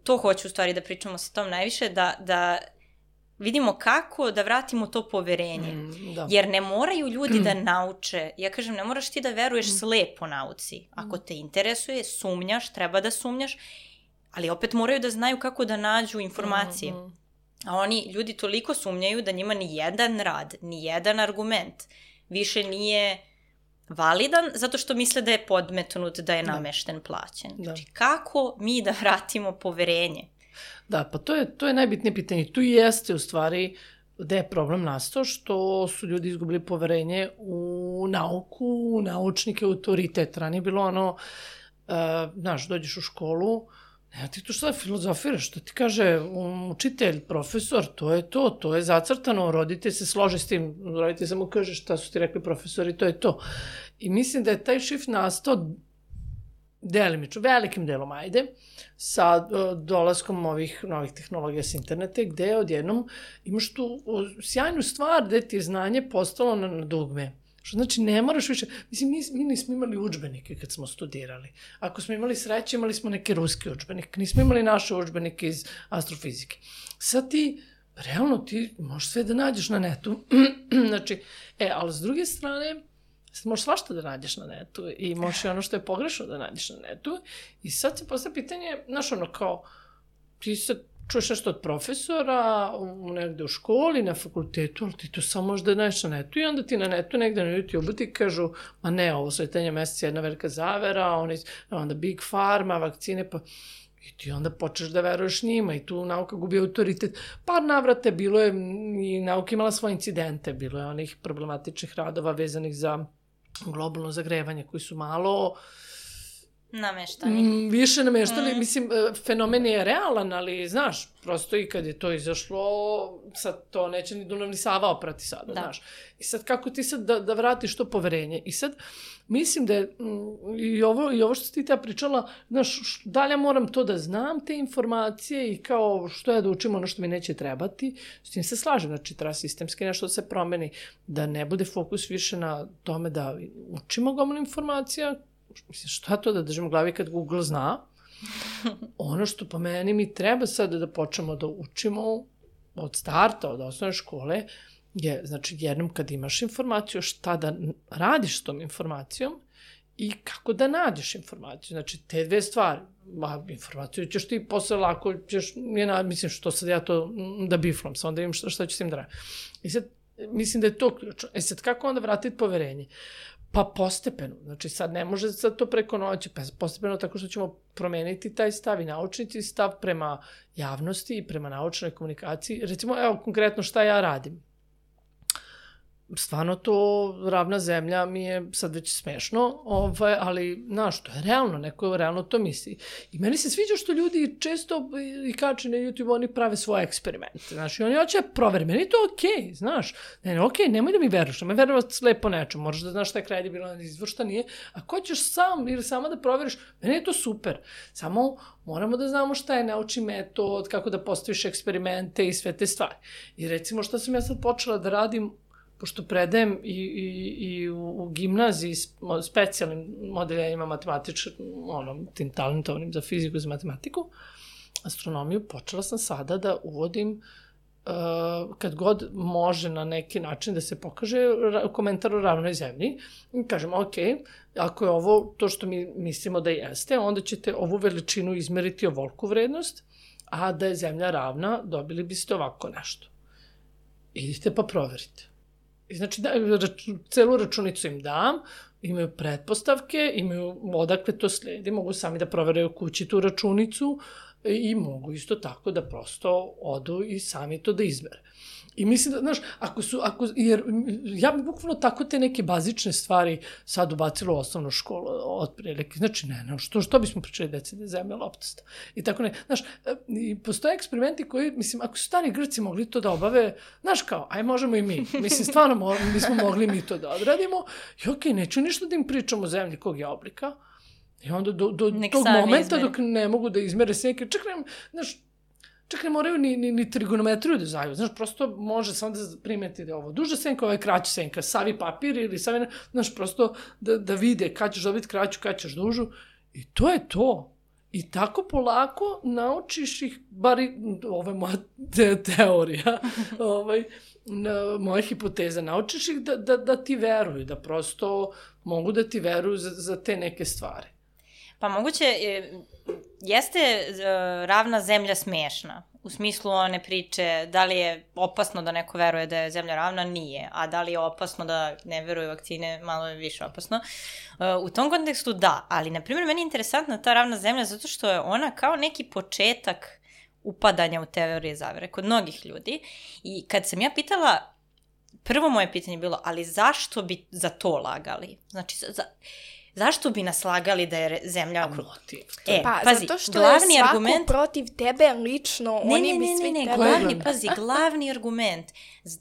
to hoću u stvari da pričamo sa tom najviše, da vidimo kako da vratimo to poverenje. Jer ne moraju ljudi da nauče. Ja kažem, ne moraš ti da veruješ slepo nauci. Ako te interesuje, sumnjaš, treba da sumnjaš, ali opet moraju da znaju kako da nađu informacije. A oni, ljudi toliko sumnjaju da njima ni jedan rad, ni jedan argument više nije validan zato što misle da je podmetnut, da je namešten, plaćen. Znači, kako mi da vratimo poverenje? Da, pa to je najbitnije pitanje. Tu jeste u stvari gde je problem nastao, što su ljudi izgubili poverenje u nauku, u naučnike, u autoritet. Ranije je bilo ono, znaš, dođeš u školu, ja ti to šta filozofiraš, što ti kaže učitelj, profesor, to je zacrtano, roditelj se slože s tim, roditelj samo kaže šta su ti rekli profesori, to je to. I mislim da je taj shift nastao delimično, velikim delom, sa dolaskom ovih novih tehnologija s interneta, gde odjednom imaš tu sjajnu stvar gde ti je znanje postalo na dugme. Što znači, ne moraš više... Mislim, mi nismo imali udžbenike kad smo studirali. Ako smo imali sreće, imali smo neki ruski udžbenik. Nismo imali naše udžbenike iz astrofizike. Sad ti, realno, ti možeš sve da nađeš na netu. Znači, ali s druge strane, možeš svašta da nađeš na netu i možeš i ono što je pogrešno da nađeš na netu. I sad se postavlja pitanje, znaš, ono kao, ti se čuješ nešto od profesora, negde u školi, na fakultetu, ali ti to samo možeš da nađeš na netu i onda ti na netu negde na YouTube ti kažu, ma ne, ovo sletanje meseca je jedna velika zavera, onda Big Pharma, vakcine, pa... I ti onda počneš da veruješ njima i tu nauka gubi autoritet. Par navrata bilo je, i nauka imala svoje incidente, bilo je onih problematičnih radova vezanih za globalno zagrevanje koji su malo... Nameštani. Više nameštani, mislim, fenomen je realan, ali, znaš, prosto i kad je to izašlo, sad to neće ni Dunav ni Sava oprati sada, znaš. I sad kako ti sad da vratiš to poverenje? I sad, mislim da je, i ovo što si ti pričala, znaš, da li ja moram to da znam, te informacije i kao što ja da učim ono što mi neće trebati, s tim se slažem, znači treba sistemski nešto da se promeni, da ne bude fokus više na tome da učimo gomilu informacija. Mislim, šta to da držimo u glavi kad Google zna? Ono što po meni mi treba sad da počnemo da učimo od starta, od osnovne škole, je, znači, jednom kad imaš informaciju, šta da radiš s tom informacijom i kako da nađeš informaciju. Znači, te dve stvari. Informaciju ćeš ti posle lako, mislim, što sad ja to da biflam, sad onda vidim šta ću s tim da radim. I sad, mislim da je to ključno. Sad, kako onda vratiti poverenje? Pa postepeno, znači sad ne može sad to preko noći, pa postepeno tako što ćemo promeniti taj stav i naučnici stav prema javnosti i prema naučnoj komunikaciji. Recimo, evo konkretno šta ja radim. Stvarno to ravna zemlja mi je sad već smešno, ali, znaš, to je realno, neko realno to misli. I meni se sviđa što ljudi često i kače na YouTube, oni prave svoje eksperimente, znaš, i oni hoće proveri, meni je to okej, znaš, nemoj da mi veruješ, ne veruješ slepo nečem, moraš da znaš šta je kredibilno izvor, šta nije, ako hoćeš sam ili sama da proveriš, meni je to super, samo moramo da znamo šta je naučni metod, kako da postaviš eksperimente i sve te stvari. I recimo šta sam ja sad počela da radim, pošto predajem i u gimnaziji specijalnim modeljenjima matematičkim, tim talentovnim za fiziku i za matematiku, astronomiju, počela sam sada da uvodim, kad god može na neki način da se pokaže komentar o ravnoj zemlji, i kažem, ok, ako je ovo to što mi mislimo da jeste, onda ćete ovu veličinu izmeriti ovoliku vrednost, a da je zemlja ravna, dobili biste ovako nešto. idite pa proverite. I znači, celu računicu im dam, imaju pretpostavke, imaju odakle to sledi, mogu sami da proveraju kući tu računicu i mogu isto tako da prosto odu i sami to da izmere. I mislim da, znaš, jer ja bi bukvalno tako te neke bazične stvari sad ubacila u osnovnu školu otprilike. Znači, što bismo pričali deci da je zemlja loptasta? I tako ne. Znaš, postoje eksperimenti koji, mislim, ako su stari Grci mogli to da obave, znaš kao, aj možemo i mi. Mislim, stvarno bismo mogli mi to da odradimo. I okej, neću ništa da im pričam o zemlji kog je oblika. I onda do tog momenta dok ne mogu da izmere se neke, čak ne moraju ni trigonometriju da znaju, znaš, prosto može samo da primeti da je ovo duža senka, ovo je kraća senka, savi papir ili savi, znaš, prosto da vide kad ćeš dobiti kraću, kad ćeš dužu i to je to. I tako polako naučiš ih, bar ovo je moja teorija, moja hipoteza, naučiš ih da ti veruju, da prosto mogu da ti veruju za te neke stvari. Pa moguće, jeste ravna zemlja smešna, u smislu one priče, da li je opasno da neko veruje da je zemlja ravna, nije, a da li je opasno da ne veruje vakcine, malo je više opasno. U tom kontekstu da, ali na primjer meni je interesantna ta ravna zemlja zato što je ona kao neki početak upadanja u teorije zavere kod mnogih ljudi i kad sam ja pitala, prvo moje pitanje je bilo, ali zašto bi za to lagali? Znači, zašto bi nas lagali da je zemlja motiv? Pazi, zato što je svako argument protiv tebe lično, oni bi svi tebe... Glavni argument,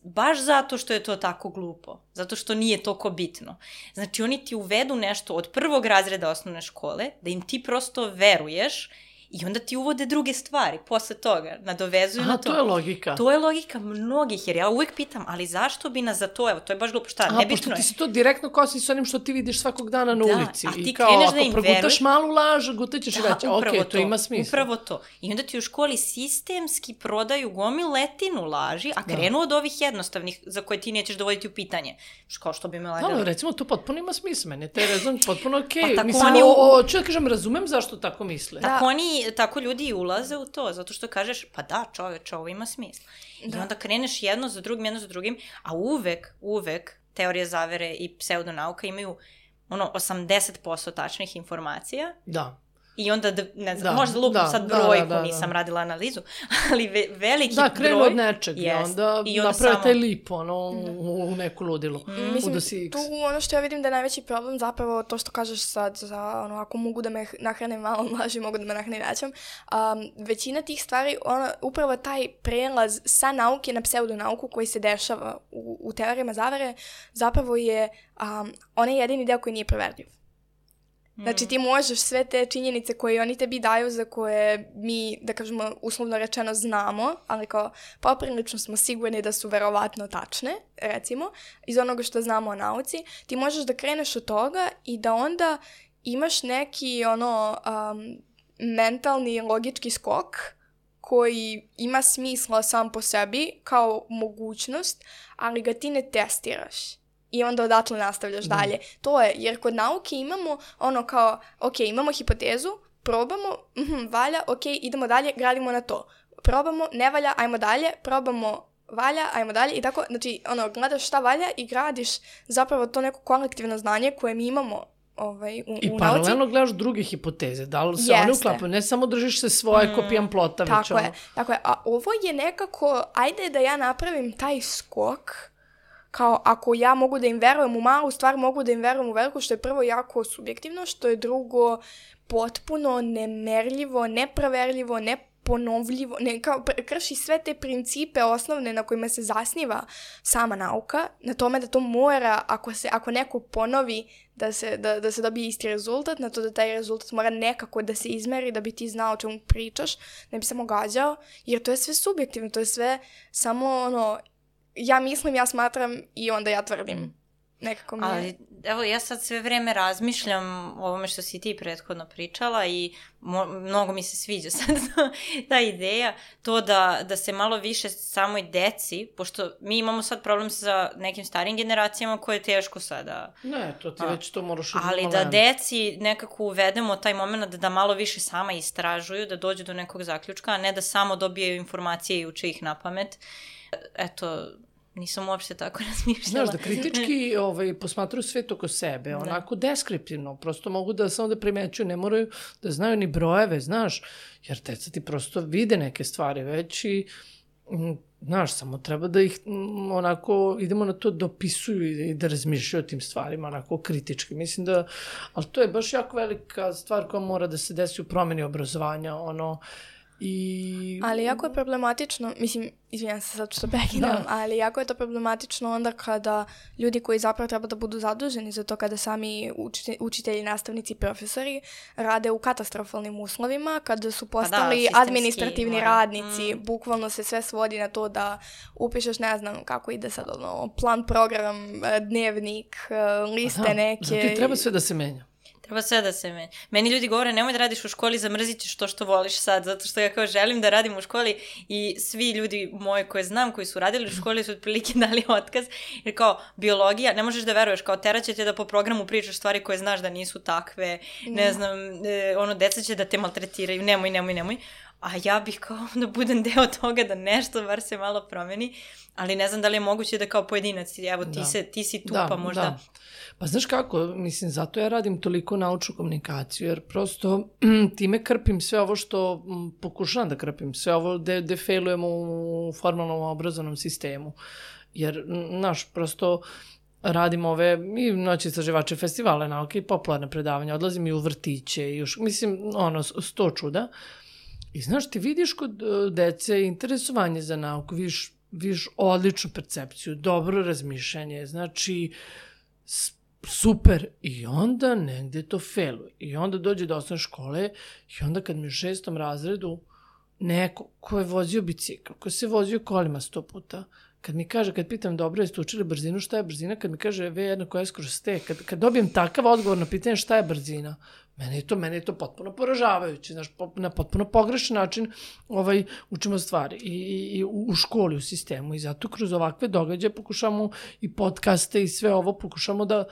baš zato što je to tako glupo, zato što nije toliko bitno. Znači, oni ti uvedu nešto od prvog razreda osnovne škole, da im ti prosto veruješ i onda ti uvode druge stvari posle toga, nadovezuju na to. To je logika. To je logika mnogih, jer ja uvijek pitam, ali zašto bi nas za to, evo, to je baš glupo, šta, nebitno je. Pošto ti se to direktno kosi s onim što ti vidiš svakog dana na ulici. A ti i kao, kreneš da im ako progutaš malu laž, gutaćeš i reći, ok, to ima smisla. Upravo to. I onda ti u školi sistemski prodaju gomiletinu laži, a krenu od ovih jednostavnih za koje ti nećeš dovoditi u pitanje. Kao što bi me lagali. Da, recimo, to potpuno ima smisla. Meni je taj rezon potpuno okej. Pa mislim, ću da kažem, razumem zašto tako misle. Tako ljudi ulaze u to, zato što kažeš, pa da, čoveče, ovo ima smisla. I onda kreneš jedno za drugim, a uvek teorije zavere i pseudonauka imaju 80% tačnih informacija. Da. I onda, ne znam, možda lupim sad brojku, nisam radila analizu, ali veliki broj... Da, krenu od nečeg i onda naprave taj lip, u neku ludilu. Mislim, tu ono što ja vidim da je najveći problem zapravo to što kažeš sad, ako mogu da me nahrane malo laži, mogu da me nahrane većom. Većina tih stvari, upravo taj prelaz sa nauke na pseudonauku koji se dešava u teorijama zavere, zapravo je onaj jedini deo koji nije proverljiv. Znači ti možeš sve te činjenice koje oni tebi daju, za koje mi, da kažemo, uslovno rečeno znamo, ali kao poprilično smo sigurni da su verovatno tačne, recimo, iz onoga što znamo o nauci, ti možeš da kreneš od toga i da onda imaš neki mentalni logički skok koji ima smisla sam po sebi kao mogućnost, ali ga ti ne testiraš. I onda odatle nastavljaš dalje. To je, jer kod nauke imamo kao, ok, imamo hipotezu, probamo, valja, ok, idemo dalje, gradimo na to. Probamo, ne valja, ajmo dalje, probamo, valja, ajmo dalje i tako, znači, gledaš šta valja i gradiš zapravo to neko kolektivno znanje koje mi imamo u nauci. I paralelno gledaš druge hipoteze, da li se one uklapaju, ne samo držiš se svoje kopijan plota. Tako je, a ovo je nekako, ajde da ja napravim taj skok, kao ako ja mogu da im verujem u malu stvar, mogu da im verujem u veliku, što je prvo jako subjektivno, što je drugo potpuno nemerljivo, neproverljivo, neponovljivo, krši sve te principe osnovne na kojima se zasniva sama nauka, na tome da to mora, ako neko ponovi da se dobije isti rezultat, na to da taj rezultat mora nekako da se izmeri da bi ti znao o čemu pričaš, ne bi samo gađao, jer to je sve subjektivno, to je sve samo ja mislim, ja smatram i onda ja tvrdim. Nekako mi je... Ali, evo, ja sad sve vreme razmišljam o ovome što si ti prethodno pričala i mnogo mi se sviđa sad ta ideja, to da se malo više samoj deci, pošto mi imamo sad problem sa nekim starijim generacijama koje je teško sada... Ne, to ti već to moraš... Ali da deci nekako uvedemo taj moment da malo više sama istražuju, da dođu do nekog zaključka, a ne da samo dobijaju informacije i uče ih na pamet. Eto, nisam uopšte tako razmišljala. Znaš, da kritički posmatruju svet oko sebe, onako deskriptivno, prosto mogu da samo da primećuju, ne moraju da znaju ni brojeve, znaš, jer deca ti prosto vide neke stvari već i, znaš, samo treba da ih onako, idemo na to da opisuju i da razmišljaju o tim stvarima, onako kritički. Mislim da, ali to je baš jako velika stvar koja mora da se desi u promeni obrazovanja, Ali jako je problematično, mislim, izvinjam se sad što prekidam, ali jako je to problematično onda kada ljudi koji zapravo treba da budu zaduženi za to, kada sami učitelji, nastavnici i profesori rade u katastrofalnim uslovima, kada su postali administrativni radnici, bukvalno se sve svodi na to da upišeš, ne znam kako ide sad, plan, program, dnevnik, liste neke. Zato i treba sve da se menja. Treba sve da se menja. Meni ljudi govore, nemoj da radiš u školi, zamrzit ćeš to što voliš sad, zato što ja kao želim da radim u školi i svi ljudi moji koje znam, koji su radili u školi su otprilike dali otkaz, jer kao biologija, ne možeš da veruješ, kao teraće te da po programu pričaš stvari koje znaš da nisu takve, ne znam, deca će da te maltretiraju, nemoj. A ja bih kao da budem deo toga, da nešto bar se malo promeni, ali ne znam da li je moguće da kao pojedinac, evo ti si tu pa možda... Da. Pa znaš kako, mislim, zato ja radim toliko naučnu komunikaciju, jer prosto time krpim sve ovo što pokušavam da krpim, sve ovo gde failujemo u formalnom obrazovnom sistemu. Jer, znaš, prosto radim i noći istraživače festivale nauke i popularne predavanja, odlazim i u vrtiće, mislim, 100 čuda. I znaš, ti vidiš kod dece interesovanje za nauku, vidiš odličnu percepciju, dobro razmišljanje, znači super, i onda negde to failuje. I onda dođe do osnovne škole i onda kad mi u 6. razredu neko ko je vozio bicikl, ko se vozio kolima 100 puta, kad mi kaže, kad pitam dobro, jeste učili brzinu, šta je brzina, kad mi kaže V1 kad dobijem takav odgovor na pitanje šta je brzina, mene je to potpuno poražavajuće, znaš, na potpuno pogrešan način učimo stvari i u školi, u sistemu, i zato kroz ovakve događaje pokušamo i podcaste i sve ovo pokušamo da,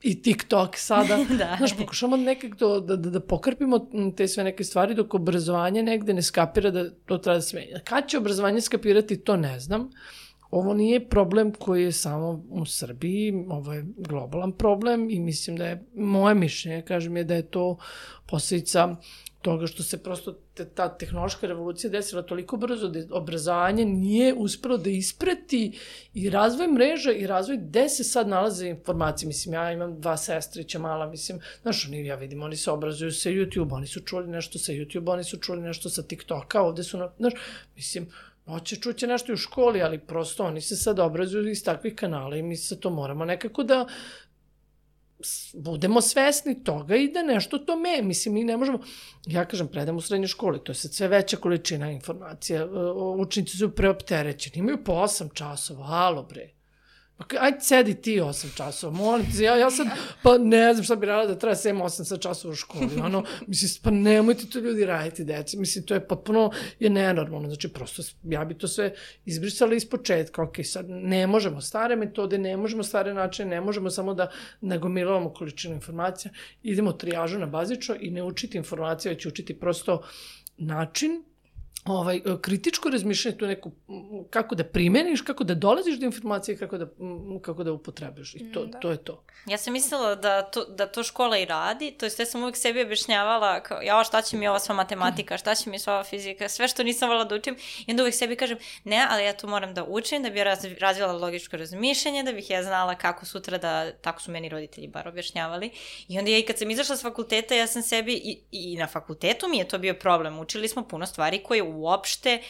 i TikTok sada, znaš, pokušamo nekako da pokrpimo te sve neke stvari dok obrazovanje negde ne skapira da to treba da se menja. Kad će obrazovanje skapirati, to ne znam. Ovo nije problem koji je samo u Srbiji, ovo je globalan problem i mislim da je, moje mišljenje, kažem je da je to posljedica toga što se prosto ta tehnološka revolucija desila toliko brzo da obrazovanje nije uspelo da isprati i razvoj mreža i razvoj gde se sad nalaze informacije. Mislim, ja imam 2 sestrića mala, mislim, znaš, ja vidim, oni se obrazuju sa YouTube, oni su čuli nešto sa YouTube, oni su čuli nešto sa TikToka, ovde su, znaš, mislim, čuće nešto i u školi, ali prosto oni se sad obrazuju iz takvih kanala i mi se to moramo nekako da budemo svesni toga i da nešto to mislim, mi ne možemo, ja kažem, predam u srednjoj školi, to je sad sve veća količina informacija, učenici su preopterećeni, imaju po 8 časova, halo bre. Ajde, sedi ti 8 časova, molim te, ja sad, pa ne znam šta bi radila da treba 7-8 časova u školi, mislim, pa nemojte to ljudi raditi, deci, mislim, to je potpuno nenormalno, znači, prosto, ja bi to sve izbrisala iz početka, ok, sad, ne možemo stare metode, ne možemo stare načine, ne možemo samo da nagomilavamo količinu informacija, idemo trijažu na bazično i ne učiti informacije, već učiti prosto način, kritičko razmišljanje, tu neku, kako da primeniš, kako da dolaziš do informacije, kako da upotrebiš. I to je to. Ja sam mislila da to škola i radi, to jest ja sam uvijek sebi objašnjavala kao, šta će mi ova sva matematika, šta će mi sva ova fizika, sve što nisam volila da učim, i onda uvijek sebi kažem, ne, ali ja to moram da učim, da bi ja razvila logičko razmišljanje, da bih ja znala kako sutra da, tako su meni roditelji bar objašnjavali. I onda ja i kad sam izašla s fakulteta, ja sam sebi, i na fakultetu mi je to bio problem, učili smo puno stvari koje uopšte,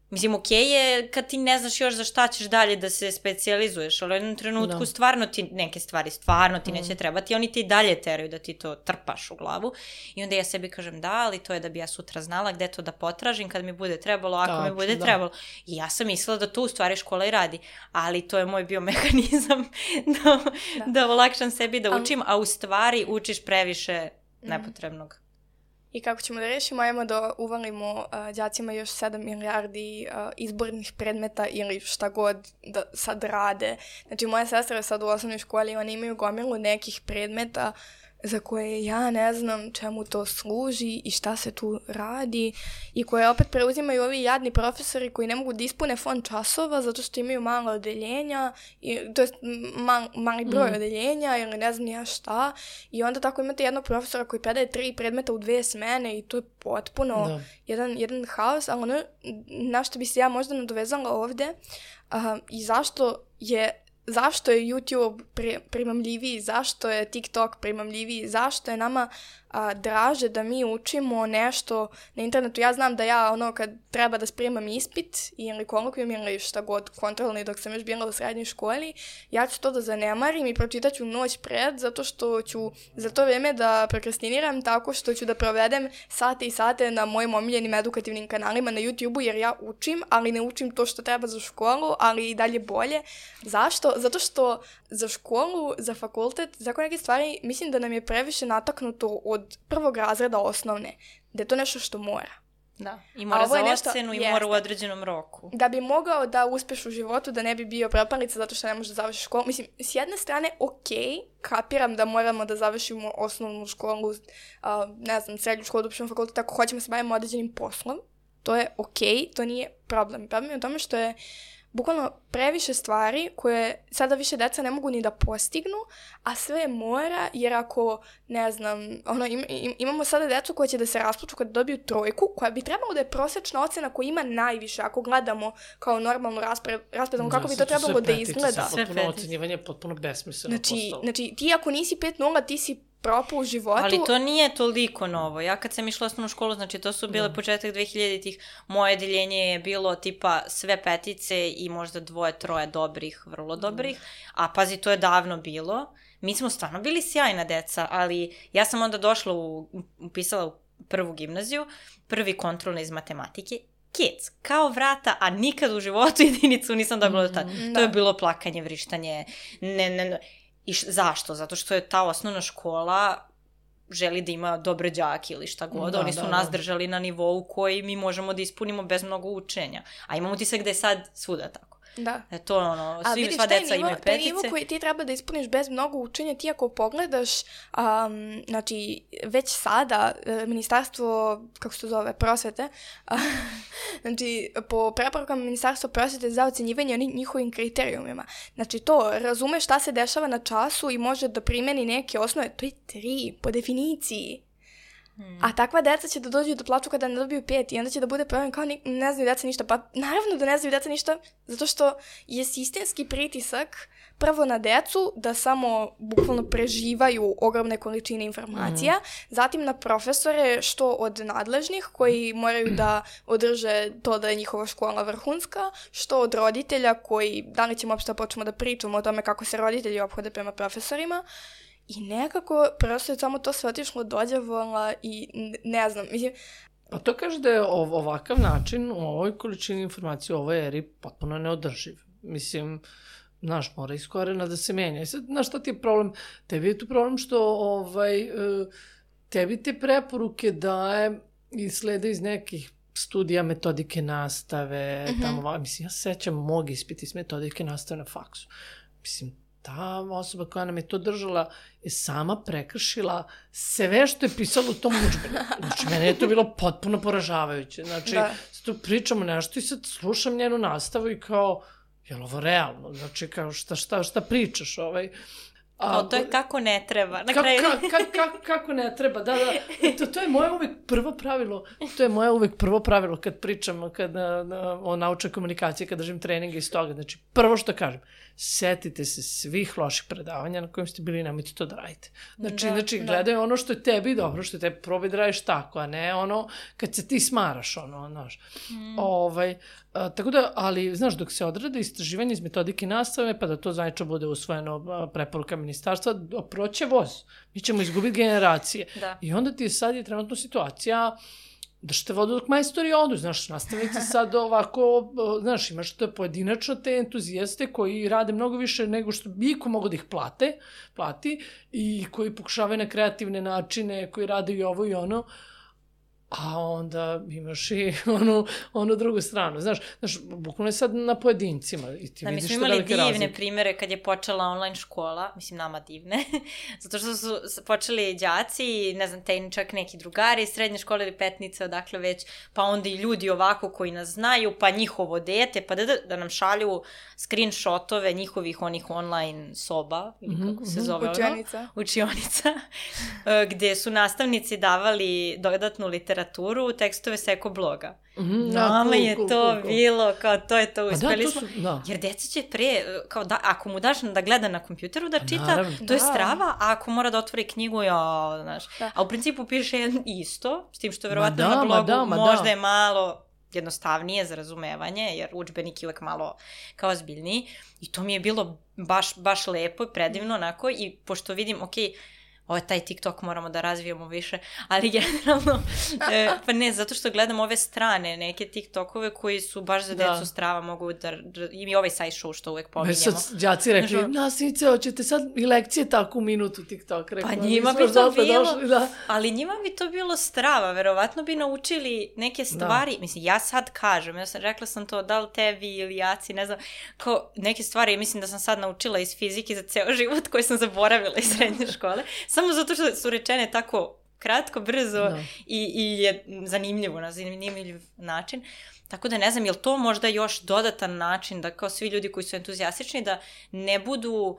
mislim, okej je kad ti ne znaš još za šta ćeš dalje da se specijalizuješ, ali u jednom trenutku stvarno ti neke stvari, stvarno ti neće trebati, oni ti i dalje teraju da ti to trpaš u glavu, i onda ja sebi kažem, da, ali to je da bi ja sutra znala gde to da potražim kad mi bude trebalo, ako mi bude trebalo. I ja sam mislila da to u stvari škola i radi, ali to je moj bio mehanizam da olakšam sebi da učim, a u stvari učiš previše nepotrebnog. I kako ćemo da rešimo, ajmo da uvalimo đacima još 7 milijardi izbornih predmeta ili šta god da sad rade. Znači, moja sestra je sad u osnovnoj školi, oni imaju gomilu nekih predmeta za koje ja ne znam čemu to služi i šta se tu radi i koje opet preuzimaju ovi jadni profesori koji ne mogu da ispune fond časova zato što imaju malo odeljenja, to je mali broj odeljenja ili ne znam ja šta i onda tako imate jednog profesora koji predaje 3 predmeta u 2 smene i to je potpuno jedan haos, ali ono na što bi se ja možda nadovezala ovde i zašto je YouTube primamljiviji, zašto je TikTok primamljiviji, zašto je nama draže da mi učimo nešto na internetu. Ja znam da ja kad treba da spremam ispit ili kolokvijum ili šta god kontrolni dok sam još bila u srednjoj školi, ja ću to da zanemarim i pročitaću noć pred zato što ću za to vreme da prokrastiniram tako što ću da provedem sate i sate na mojim omiljenim edukativnim kanalima na YouTube-u jer ja učim, ali ne učim to što treba za školu, ali i dalje bolje. Zašto? Zato što za školu, za fakultet, za neke stvari mislim da nam je previše nataknuto od 1. razreda osnovne, da je to nešto što mora. Da, i mora za ocenu i mora u određenom roku. Da bi mogao da uspeš u životu, da ne bi bio propalica zato što ne možeš da završiš školu. Mislim, s jedne strane, kapiram da moramo da završimo osnovnu školu, ne znam, srednju školu, uopšte fakultet, ako hoćemo se bavimo određenim poslom. To je to nije problem. Problem je u tome što je bukvalno previše stvari koje sada više deca ne mogu ni da postignu, a sve mora, jer ako, ne znam, imamo sada decu koja će da se rasplaču kad dobiju 3, koja bi trebalo da je prosječna ocena koja ima najviše, ako gledamo kao normalnu raspredom, kako bi to trebalo da izgleda. Potpuno ocenjivanje, potpuno besmisleno postalo. Znači, ti ako nisi 5.0, ti si propao u životu. Ali to nije toliko novo. Ja kad sam išla u osnovnu školu, znači to su bile početak 2000-ih, moje deljenje je bilo tipa sve 5 i možda 2-3 dobrih, vrlo dobrih, a pazi, to je davno bilo. Mi smo stvarno bili sjajna deca, ali ja sam onda došla, upisala u 1. gimnaziju, 1. kontrolni iz matematike, kids, kao vrata, a nikad u životu jedinicu nisam dobila do tada. To je bilo plakanje, vrištanje, ne. I zašto? Zato što je ta osnovna škola želi da ima dobre đake ili šta god. Oni su nas držali na nivou koji mi možemo da ispunimo bez mnogo učenja. A imamo utisak da je sad svuda tako. Da. To sva deca imaju 5. Taj nivo koji ti treba da ispuniš bez mnogo učenja, ti ako pogledaš, znači, već sada ministarstvo, kako se to zove, prosvete, znači, po preporukama ministarstva prosvete za ocenjivanje njihovim kriterijumima. Znači, to razume šta se dešava na času i može da primeni neke osnove. To je 3, po definiciji. A takva deca će da dođu da plaču kada ne dobiju 5 i onda će da bude problem kao ne znaju deca ništa. Pa naravno da ne znaju deca ništa, zato što je sistemski pritisak prvo na decu da samo bukvalno preživaju ogromne količine informacija, zatim na profesore što od nadležnih koji moraju da održe to da je njihova škola vrhunska, što od roditelja koji, da li ćemo uopšte počnemo da pričamo o tome kako se roditelji ophode prema profesorima. I nekako prosto je samo to sve otišlo dođavola i ne znam, mislim... A to kaže da je ovakav način u ovoj količini informacije u ovoj eri potpuno neodrživ. Mislim, znaš, mora iz korena da se menja. I sad, znaš, šta ti je problem? Tebi je tu problem što tebi te preporuke daje i slede iz nekih studija metodike nastave, tamo, mislim, ja sećam mog ispita iz metodike nastave na faksu. Mislim, ta osoba koja nam je to držala je sama prekršila sve što je pisalo u tom udžbeniku. Znači, mene je to bilo potpuno poražavajuće. Znači, tu pričamo nešto i sad slušam njenu nastavu i kao, je li ovo realno? Znači, kao, šta pričaš? To je kako ne treba. Kako ne treba, da. To je moje uvek prvo pravilo kad pričam o naučnoj komunikaciji, kad držim treninge iz toga. Znači, prvo što kažem, setite se svih loših predavanja na kojim ste bili i nemojte to da radite. Znači, gledaj ono što je tebi dobro, što je tebi probaj da radiš tako, a ne ono kad se ti smaraš, znaš. Tako da, ali, znaš, dok se odrade istraživanje iz metodike nastave, pa da to zvanično bude usvojeno preporuka ministarstva, proće voz. Mi ćemo izgubiti generacije. I onda ti je trenutno situacija da što te vodu dok majstori odu, znaš, nastavnici sad ovako, znaš, imaš to pojedinačno te entuzijaste koji rade mnogo više nego što iko mogu da ih plati i koji pokušavaju na kreativne načine, koji rade i ovo i ono, a onda imaš i onu drugu stranu. Znaš, bukvalno je sad na pojedincima i ti vidiš što velike razlike. Mi smo imali divne primere kad je počela online škola, mislim nama divne, zato što su počeli đaci, ne znam, čak neki drugari, srednje škole ili petnice, odakle već, pa onda i ljudi ovako koji nas znaju, pa njihovo dete, pa da nam šalju screenshotove njihovih onih online soba, kako se zove učionica, gde su nastavnici davali dodatnu literaturu, tekstove sa ekobloga. Nama je to bilo, kao to je to, uspeli smo. Jer deca će pre, kao da, ako mu daš da gleda na kompjuteru da čita, to je strava, a ako mora da otvori knjigu, znaš. A u principu piše isto, s tim što verovatno na blogu možda je malo jednostavnije za razumevanje, jer udžbenik je uvek malo kao ozbiljniji. I to mi je bilo baš lepo i predivno, onako, i pošto vidim, ovo je taj TikTok, moramo da razvijemo više, ali generalno, pa ne, zato što gledam ove strane, neke TikTokove koji su baš za decu strava, mogu da, i ovaj side show što uvek pominjemo. Sad đaci rekli, nastavnice, hoćete sad i lekcije tako u minutu TikTok. Pa njima bi to bilo, ali njima bi to bilo strava, verovatno bi naučili neke stvari, mislim, ja sad kažem, rekla sam to, da li tebi ili jaci, ne znam, kao neke stvari, mislim da sam sad naučila iz fizike za ceo život koje sam zaboravila iz srednje škole, samo zato što su rečene tako kratko, brzo i je zanimljivo, na zanimljiv način. Tako da ne znam, je li to možda još dodatan način da kao svi ljudi koji su entuzijastični da ne budu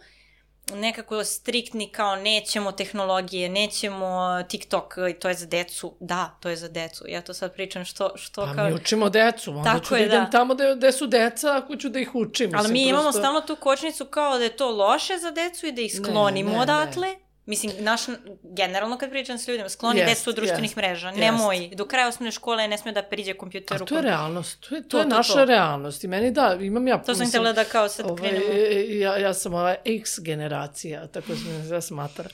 nekako striktni kao nećemo tehnologije, nećemo TikTok, to je za decu. Da, to je za decu. Ja to sad pričam što pa kao... mi učimo decu, onda ću da idem tamo gde su deca, ako ću da ih učim. Ali mi imamo stalno tu kočnicu kao da je to loše za decu i da ih sklonimo odatle. Mislim, generalno kad pričam s ljudima, skloni decu od društvenih mreža, nemoj, do kraja osnovne škole ne sme da priđe kompjuteru. A to je realnost, to je naša realnost i meni imam ja... To sam htjela da kao sad krenemo. Ja sam X generacija, tako sam ja smatra.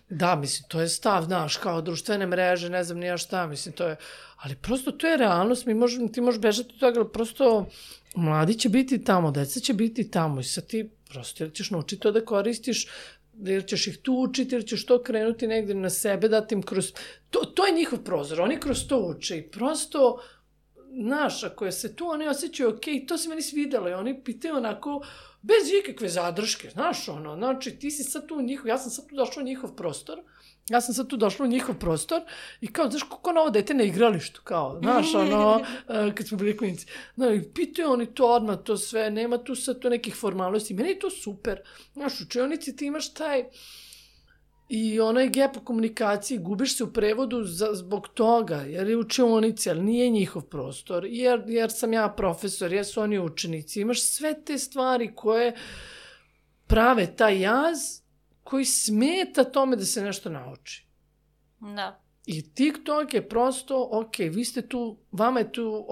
Da, mislim, to je stav, znaš, kao društvene mreže, ne znam nija šta, mislim, to je... Ali prosto to je realnost, ti možeš bežati od toga, ali prosto mladi će biti tamo, deca će biti tamo i sad ti prosto ćeš naučiti to da koristiš, jer ćeš ih tu učiti, jer ćeš to krenuti negdje na sebe, dati im kroz... To je njihov prozor, oni kroz to uče i prosto, znaš, ako je se tu, oni osjećaju okej, to se meni svidjelo i oni pitaju onako, bez ikakve zadrške, znaš, znači ti si sad tu ja sam sad tu došla u njihov prostor, i kao, znaš, kako na ovo dete na igralištu, kao, znaš, kad smo bili klinici. Pitaju oni to odmah, to sve, nema tu sad to nekih formalnosti, meni je to super. Znaš, u učionici ti imaš taj i onaj gap u komunikaciji, gubiš se u prevodu zbog toga, jer je učionici, ali nije njihov prostor, jer sam ja profesor, jer su oni učenici, imaš sve te stvari koje prave taj jaz, koji smeta tome da se nešto nauči. Da. I TikTok je prosto, vi ste tu, vama je tu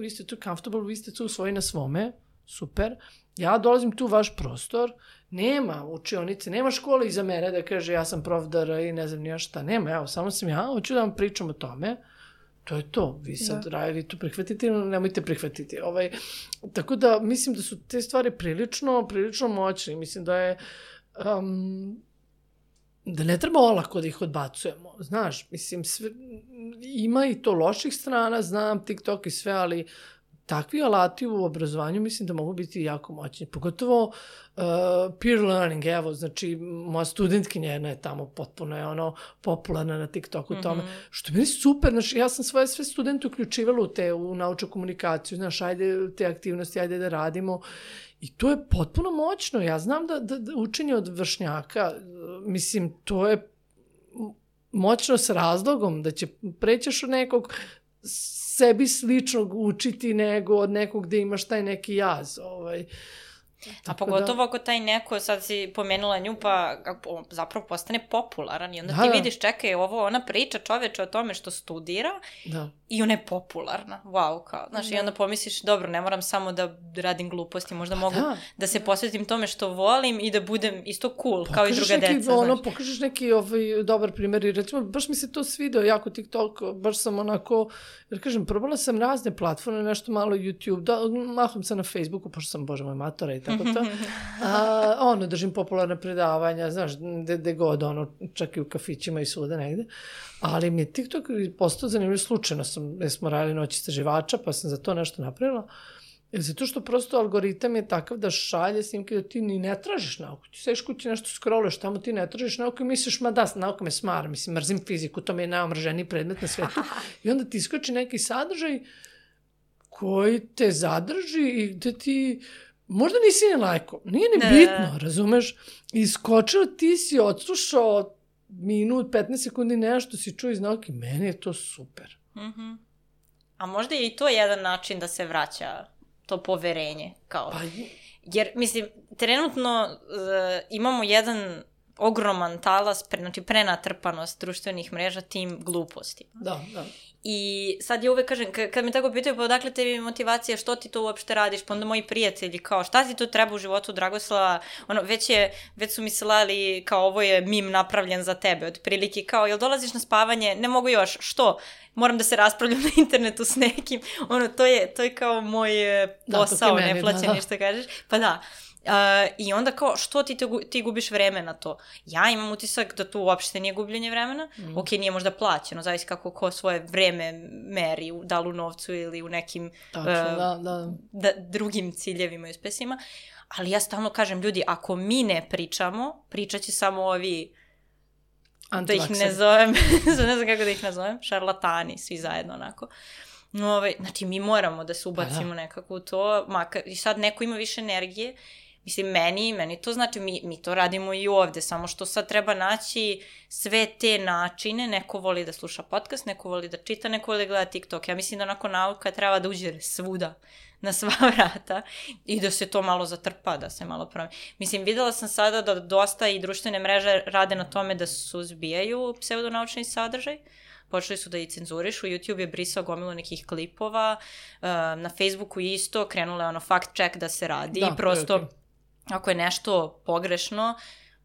vi ste tu comfortable, vi ste tu svoji na svome, super. Ja dolazim tu u vaš prostor, nema učionice, nema škole iza mene da kaže ja sam profdara i ne znam nija šta, nema, evo, samo sam ja, hoću da vam pričam o tome. To je to, vi sad vi to prihvatite ili nemojte prihvatiti. Tako da mislim da su te stvari prilično moćne, mislim da je da ne treba olako da ih odbacujemo, znaš, mislim, ima i to loših strana, znam TikTok i sve, ali takvi alati u obrazovanju mislim da mogu biti jako moćni, pogotovo peer learning, evo, znači moja studentkinja jedna je tamo potpuno je popularna na TikToku tome, što je meni super, znači ja sam svoje sve studente uključivala u naučnu komunikaciju, znaš, ajde te aktivnosti, ajde da radimo. I to je potpuno moćno. Ja znam da učenje od vršnjaka, mislim, to je moćno s razlogom, da će prećeš od nekog sebi sličnog učiti nego od nekog gde imaš taj neki jaz. A pogotovo ako taj neko, sad si pomenula nju, pa zapravo postane popularan i onda ti vidiš, čekaj, ona priča čoveče o tome što studira i ona je popularna. Wow, kao, znaš, i onda pomisliš, dobro, ne moram samo da radim gluposti, možda mogu da se posvetim tome što volim i da budem isto cool, kao i druga deca. Pokažeš neki dobar primjer i recimo, baš mi se to svideo jako TikTok, baš sam onako, jer kažem, probala sam razne platforme, nešto malo YouTube, mahom sam na Facebooku, pošto sam, bože moj, matora i tako to. Držim popularne predavanja, znaš, gde god, čak i u kafićima i svuda negde. Ali mi je TikTok postao zanimljiv, slučajno smo radili noć istraživača, pa sam za to nešto napravila. Zato što prosto algoritam je takav da šalje snimke da ti ni ne tražiš nauku. Ti sediš kući nešto scrolluješ, tamo ti ne tražiš nauku i misliš, ma da, nauka me smara, mislim, mrzim fiziku, to mi je najomrženiji predmet na svetu. I onda ti iskoči neki sadržaj koji te zadrži i gde ti možda nisi ni lajko, nije ni bitno, razumeš? Iskočio, ti si odslušao minut, 15 sekundi nešto si čuo iz nauke, meni je to super. A možda je i to jedan način da se vraća to poverenje, kao. Jer, mislim, trenutno imamo jedan ogroman talas, znači prenatrpanost društvenih mreža tim glupostima. Da. I sad ja uvek kažem, kad me tako pitaju, pa odakle tebi motivacija, što ti to uopšte radiš, pa onda moji prijatelji, kao, šta ti to treba u životu, Dragoslava, već su mi slali, kao, ovo je mim napravljen za tebe, otprilike, kao, jel dolaziš na spavanje, ne mogu još, što? Moram da se raspravljam na internetu s nekim, to je kao moj posao, neplaćen, ništa kažeš, pa da. I onda kao, što ti gubiš vreme na to? Ja imam utisak da to uopšte nije gubljenje vremena. Ok, nije možda plaćeno, zavisi kako ko svoje vreme meri, da li u novcu ili u nekim drugim ciljevima i uspesima. Ali ja stalno kažem, ljudi, ako mi ne pričamo, pričat će samo ovi, da ih ne zovem, ne znam kako da ih nazovem, šarlatani, svi zajedno onako. Znači, mi moramo da se ubacimo nekako u to, i sad neko ima više energije. Mislim, meni to znači, mi to radimo i ovde, samo što sad treba naći sve te načine, neko voli da sluša podcast, neko voli da čita, neko voli da gleda TikTok. Ja mislim da onako nauka treba da uđe svuda, na sva vrata i da se to malo zatrpa, da se malo promeni. Mislim, videla sam sada da dosta i društvene mreže rade na tome da suzbijaju pseudonaučni sadržaj. Počeli su da i cenzurišu, YouTube je brisao gomilu nekih klipova, na Facebooku isto, krenula je fact check da se radi i prosto ako je nešto pogrešno,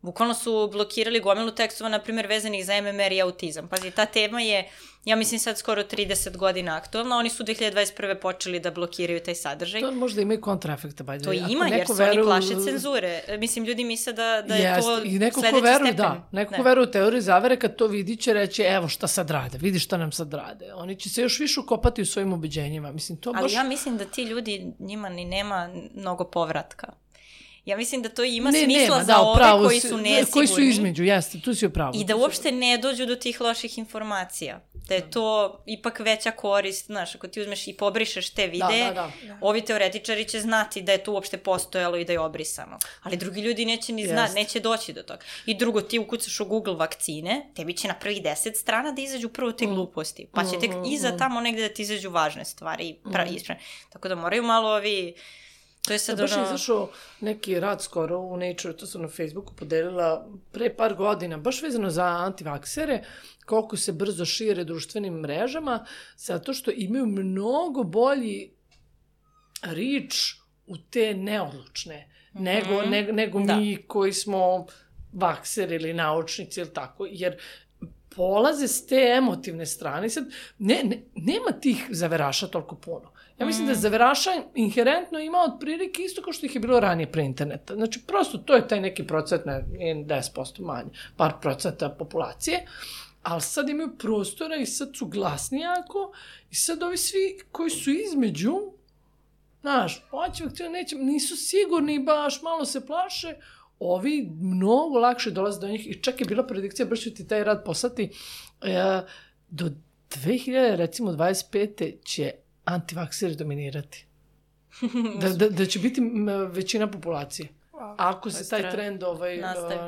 bukvalno su blokirali gomilu tekstova, na primjer, vezanih za MMR i autizam. Pazi, ta tema je, ja mislim, sad skoro 30 godina aktualna, oni su 2021. počeli da blokiraju taj sadržaj. To možda ima i kontraefekta, bajde. To ima, jer se oni plaše cenzure. Mislim, ljudi misle da je to sledeći stepen. Neko ko veruje u teoriju zavere, kad to vidi će reći, evo šta sad rade, vidi šta nam sad rade. Oni će se još više ukopati u svojim ubeđenjima. Mislim, to ali ja mislim da ti ljudi, njima ni nema mnogo povratka. Ja mislim da to ima smisla za ove koji su nesigurni. Koji su između, jeste, tu si upravo. I da uopšte ne dođu do tih loših informacija. Da je to ipak veća korist, znaš, ako ti uzmeš i pobrišeš te videe, ovi teoretičari će znati da je to uopšte postojalo i da je obrisano. Ali drugi ljudi neće ni znati, neće doći do toga. I drugo, ti ukucaš u Google vakcine, tebi će na prvih 10 strana da izađu prvo te gluposti. Pa će tek iza tamo negde da ti izađu važne stvari i ispravne. Tako da moraju malo ovi... Baš je izašao neki rad skoro u Nature, to sam na Facebooku podelila pre par godina, baš vezano za antivaksere, koliko se brzo šire društvenim mrežama, zato što imaju mnogo bolji reach u te neodlučne, nego mi koji smo vakseri ili naučnici ili tako, jer polaze s te emotivne strane. Sad, nema tih zaveraša toliko puno. Ja mislim da zaveraša inherentno ima otprilike isto kao što ih je bilo ranije pre interneta. Znači, prosto to je taj neki procent, ne 10% manje, par procenta populacije, ali sad imaju prostora i sad su glasni jako i sad ovi svi koji su između, znaš, nisu sigurni baš, malo se plaše, ovi mnogo lakše dolaze do njih i čak je bila predikcija, baš ću ti taj rad poslati, do 2025. će antivakseri dominirati. Da će biti većina populacije. Ako se taj trend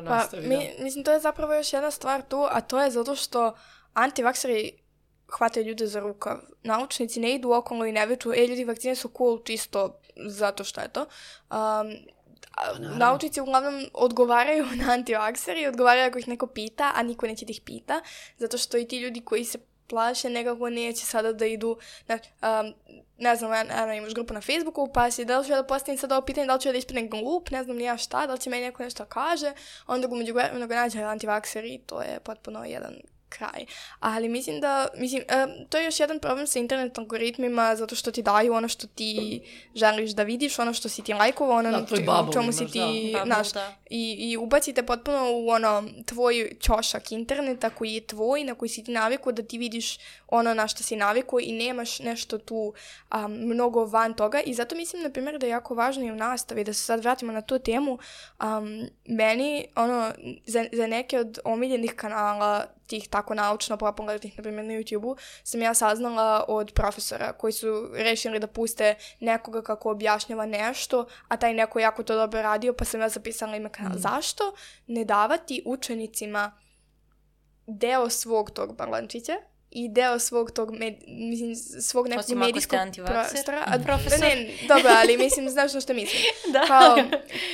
nastavi. Mislim, to je zapravo još jedna stvar tu, a to je zato što antivakseri hvataju ljude za rukav. Naučnici ne idu okolo i ne veču, ljudi, vakcine su cool čisto zato što je to. Naučnici uglavnom odgovaraju na antivakseri, odgovaraju ako ih neko pita, a niko neće da ih pita, zato što i ti ljudi koji se plaše nekako neće sada da idu, ne znam, imaš grupu na Facebooku, pa si da li ću ja da postavim sad ovo pitanje, da li ću ja da ispadnem glup, ne znam nija šta, da li će meni neko nešto kaže, onda ga među vremenu nađe antivakseri i to je potpuno jedan kraj. Ali mislim da, to je još jedan problem sa internet algoritmima, zato što ti daju ono što ti želiš da vidiš, ono što si ti lajkovao, ono u čemu si ti, znaš, i ubacite potpuno u ono tvoj ćošak interneta koji je tvoj, na koji si ti navikao da ti vidiš ono na što si navikao i nemaš nešto tu mnogo van toga i zato mislim, na primjer, da je jako važno i u nastavi, da se sad vratimo na tu temu, meni, ono, za neke od omiljenih kanala tih tako naučno popularnih, na primjer na YouTube-u, sam ja saznala od profesora koji su rešili da puste nekoga kako objašnjava nešto, a taj neko jako to dobro radio, pa sam ja zapisala ime kanala. Zašto ne davati učenicima deo svog tog balančića i deo svog tog, svog nekog medijskog prostora. Profesor. Ne, dobro, ali mislim, znaš što mislim.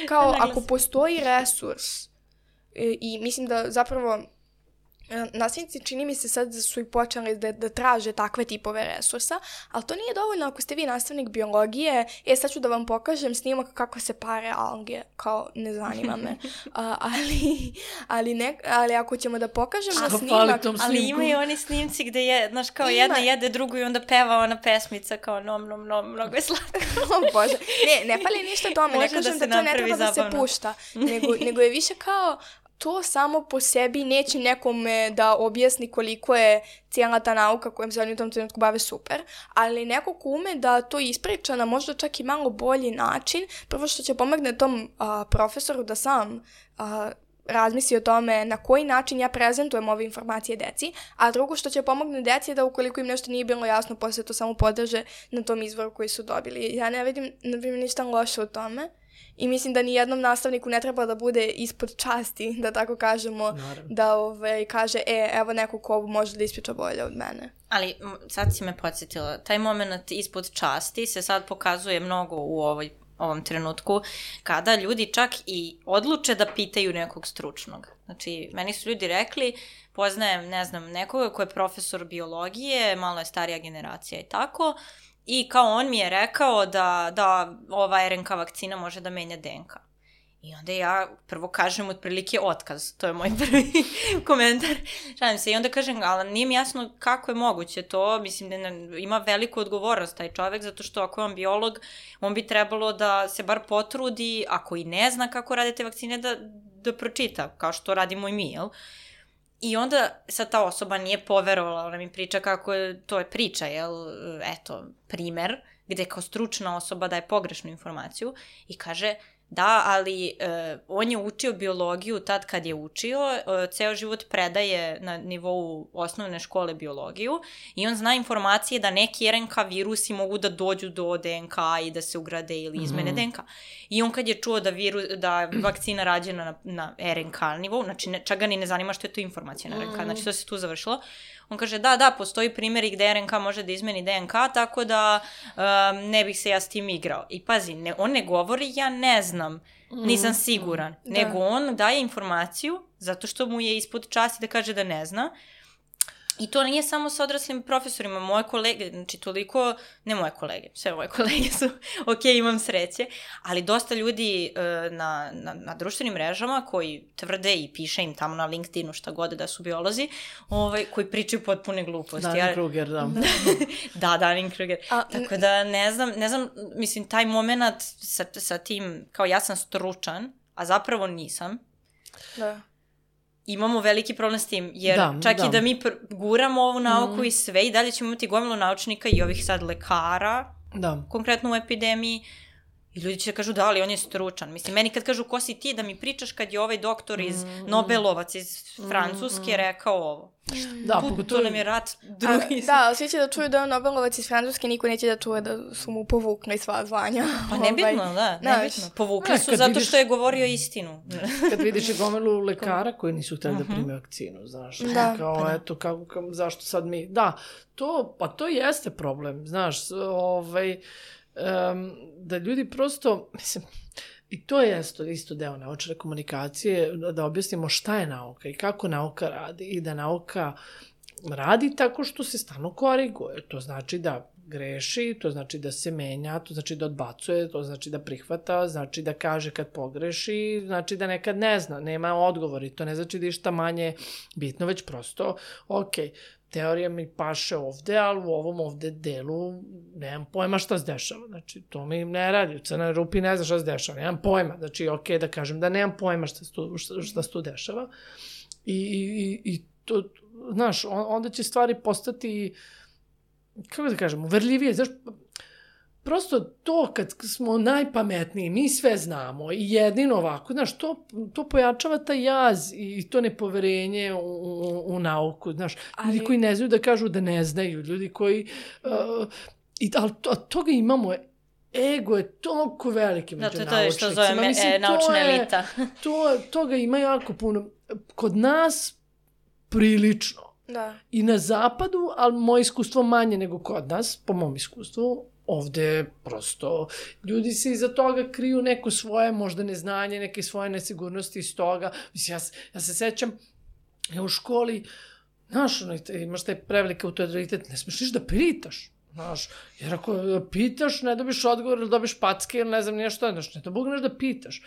Kao ako postoji resurs i mislim da zapravo nastavnici čini mi se sad su i počeli da traže takve tipove resursa, ali to nije dovoljno ako ste vi nastavnik biologije, sad ću da vam pokažem snimak kako se pare alge, kao ne zanima me. Ali ako ćemo da pokažemo snimak... Ali imaju oni snimci gde je, znaš, kao jedna jede drugu i onda peva ona pesmica kao nom, nom, nom, mnogo je slatko. Bože, ne fali ništa tome, ne kažem da to ne treba da se pušta, nego je više kao to samo po sebi neće nekome da objasni koliko je cijela ta nauka kojom se oni u tom trenutku bave super, ali neko ko ume da to ispriča na možda čak i malo bolji način, prvo što će pomogne tom profesoru da sam razmisli o tome na koji način ja prezentujem ove informacije deci, a drugo što će pomogne deci da ukoliko im nešto nije bilo jasno, posle to samo podrže na tom izvoru koji su dobili. Ja ne vidim, na primjer, ništa loše u tome. I mislim da ni jednom nastavniku ne treba da bude ispod časti, da tako kažemo, da kaže, evo neko ko može da ispriča bolje od mene. Ali sad si me podsjetila, taj moment ispod časti se sad pokazuje mnogo u ovom trenutku, kada ljudi čak i odluče da pitaju nekog stručnog. Znači, meni su ljudi rekli, poznajem, ne znam, nekoga ko je profesor biologije, malo je starija generacija i tako, i kao on mi je rekao da ova RNK vakcina može da menja DNK. I onda ja prvo kažem otprilike otkaz. To je moj prvi komentar. Šalim se. I onda kažem, ali nije mi jasno kako je moguće to. Mislim da ima veliku odgovornost taj čovek, zato što ako je on biolog, on bi trebalo da se bar potrudi, ako i ne zna kako rade te vakcine, da pročita, kao što radimo i mi, jel? I onda sad ta osoba nije poverovala, ona mi priča kako je, to je priča, jel, eto, primer, gde kao stručna osoba daje pogrešnu informaciju i kaže, da, ali on je učio biologiju tad kad je učio, ceo život predaje na nivou osnovne škole biologiju i on zna informacije da neki RNK virusi mogu da dođu do DNK i da se ugrade ili izmene DNK. I on kad je čuo da vakcina rađena na RNK nivou, znači čak ga ni ne zanima što je to informacija na RNK, znači to se tu završilo. On kaže, da, postoji primjeri gde RNK može da izmeni DNK, tako da ne bih se ja s tim igrao. I pazi, on ne govori, ja ne znam, nisam siguran, nego on daje informaciju zato što mu je ispod časti da kaže da ne zna. I to nije samo sa odraslim profesorima, moje kolege, znači toliko, ne moje kolege, sve moje kolege su, ok, imam sreće, ali dosta ljudi na društvenim mrežama koji tvrde i piše im tamo na LinkedInu šta god da su biolozi, koji pričaju potpune gluposti. Dunning-Kruger, da. Da, Dunning-Kruger. Tako da ne znam, mislim, taj moment sa tim, kao ja sam stručan, a zapravo nisam. Da. Imamo veliki problem s tim, jer čak i da mi guramo ovu nauku i sve, i dalje ćemo imati gomilu naučnika i ovih sad lekara, konkretno u epidemiji, i ljudi će da kažu da, ali on je stručan. Mislim, meni kad kažu ko si ti da mi pričaš kad je ovaj doktor iz Nobelovac iz Francuske rekao ovo. Da, to nam je rat drugi. Da, svi će da čuju da je Nobelovac iz Francuske, niko neće da čuje da su mu povukli sva zvanja. Pa nebitno, nebitno. Povukli su zato što je govorio istinu. Kad vidiš i gomilu lekara koji nisu htjeli da prime vakcinu, znaš. Kao, eto, zašto sad mi... Da, to jeste problem, znaš, da ljudi prosto, mislim, i to je isto deo naučne komunikacije, da objasnimo šta je nauka i kako nauka radi i da nauka radi tako što se stalno koriguje. To znači da greši, to znači da se menja, to znači da odbacuje, to znači da prihvata, znači da kaže kad pogreši, znači da nekad ne zna, nema odgovori, to ne znači da je šta manje bitno, već prosto, teorija mi paše ovde, ali u ovom ovde delu nemam pojma šta se dešava. Znači, to mi ne radi. U crnoj rupi ne zna šta se dešava. Nemam pojma. Znači, da kažem da nemam pojma šta se tu dešava. I to, znaš, onda će stvari postati, kako da kažem, uverljivije. Znaš, prosto to kad smo najpametniji, mi sve znamo i jedino ovako, znaš, to pojačava taj jaz i to nepoverenje u nauku, znaš, ljudi koji ne znaju da kažu da ne znaju, ljudi koji, ali toga imamo, ego je toliko veliki među naučnicima. To je što zove naučna elita. Toga ima jako puno. Kod nas prilično. Da. I na zapadu, ali moje iskustvo manje nego kod nas, po mom iskustvu, ovde prosto ljudi se iza toga kriju neko svoje možda neznanje, neke svoje nesigurnosti iz toga. Mislim, ja se sećam, u školi, znaš, imaš taj preveliki autoritet, ne smiješ da pitaš. Znaš, jer ako pitaš, ne dobiš odgovor ili dobiš packe ili ne znam nije što, znaš, ne to Bog nešto da pitaš.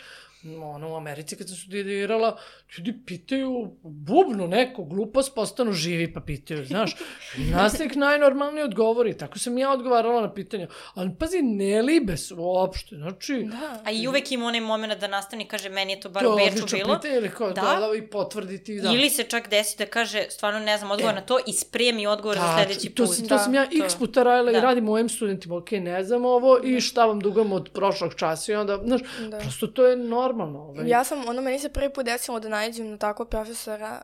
U Americi kad sam studirala, ljudi pitaju bubnu neku glupost, postanu živi pa pitaju, znaš. Nastavnik najnormalnije odgovori, tako sam ja odgovarala na pitanja, ali pazi, ne libe su uopšte, znači... Da. A i uvek ima onaj moment da nastavnik kaže, meni je to bar u Beču bilo. To je odlično pitanje, ili kao da i potvrditi, da. Ili se čak desi da kaže, stvarno ne znam odgovor na to i spremi odgovor za sledeći put. To sam ja x puta radila i radim mojim studentima, ne znam ovo i šta vam dugam od prošlog časa i onda, znaš, prosto to je normalno. Ja sam, meni se prvi put desilo da nađem na takvog profesora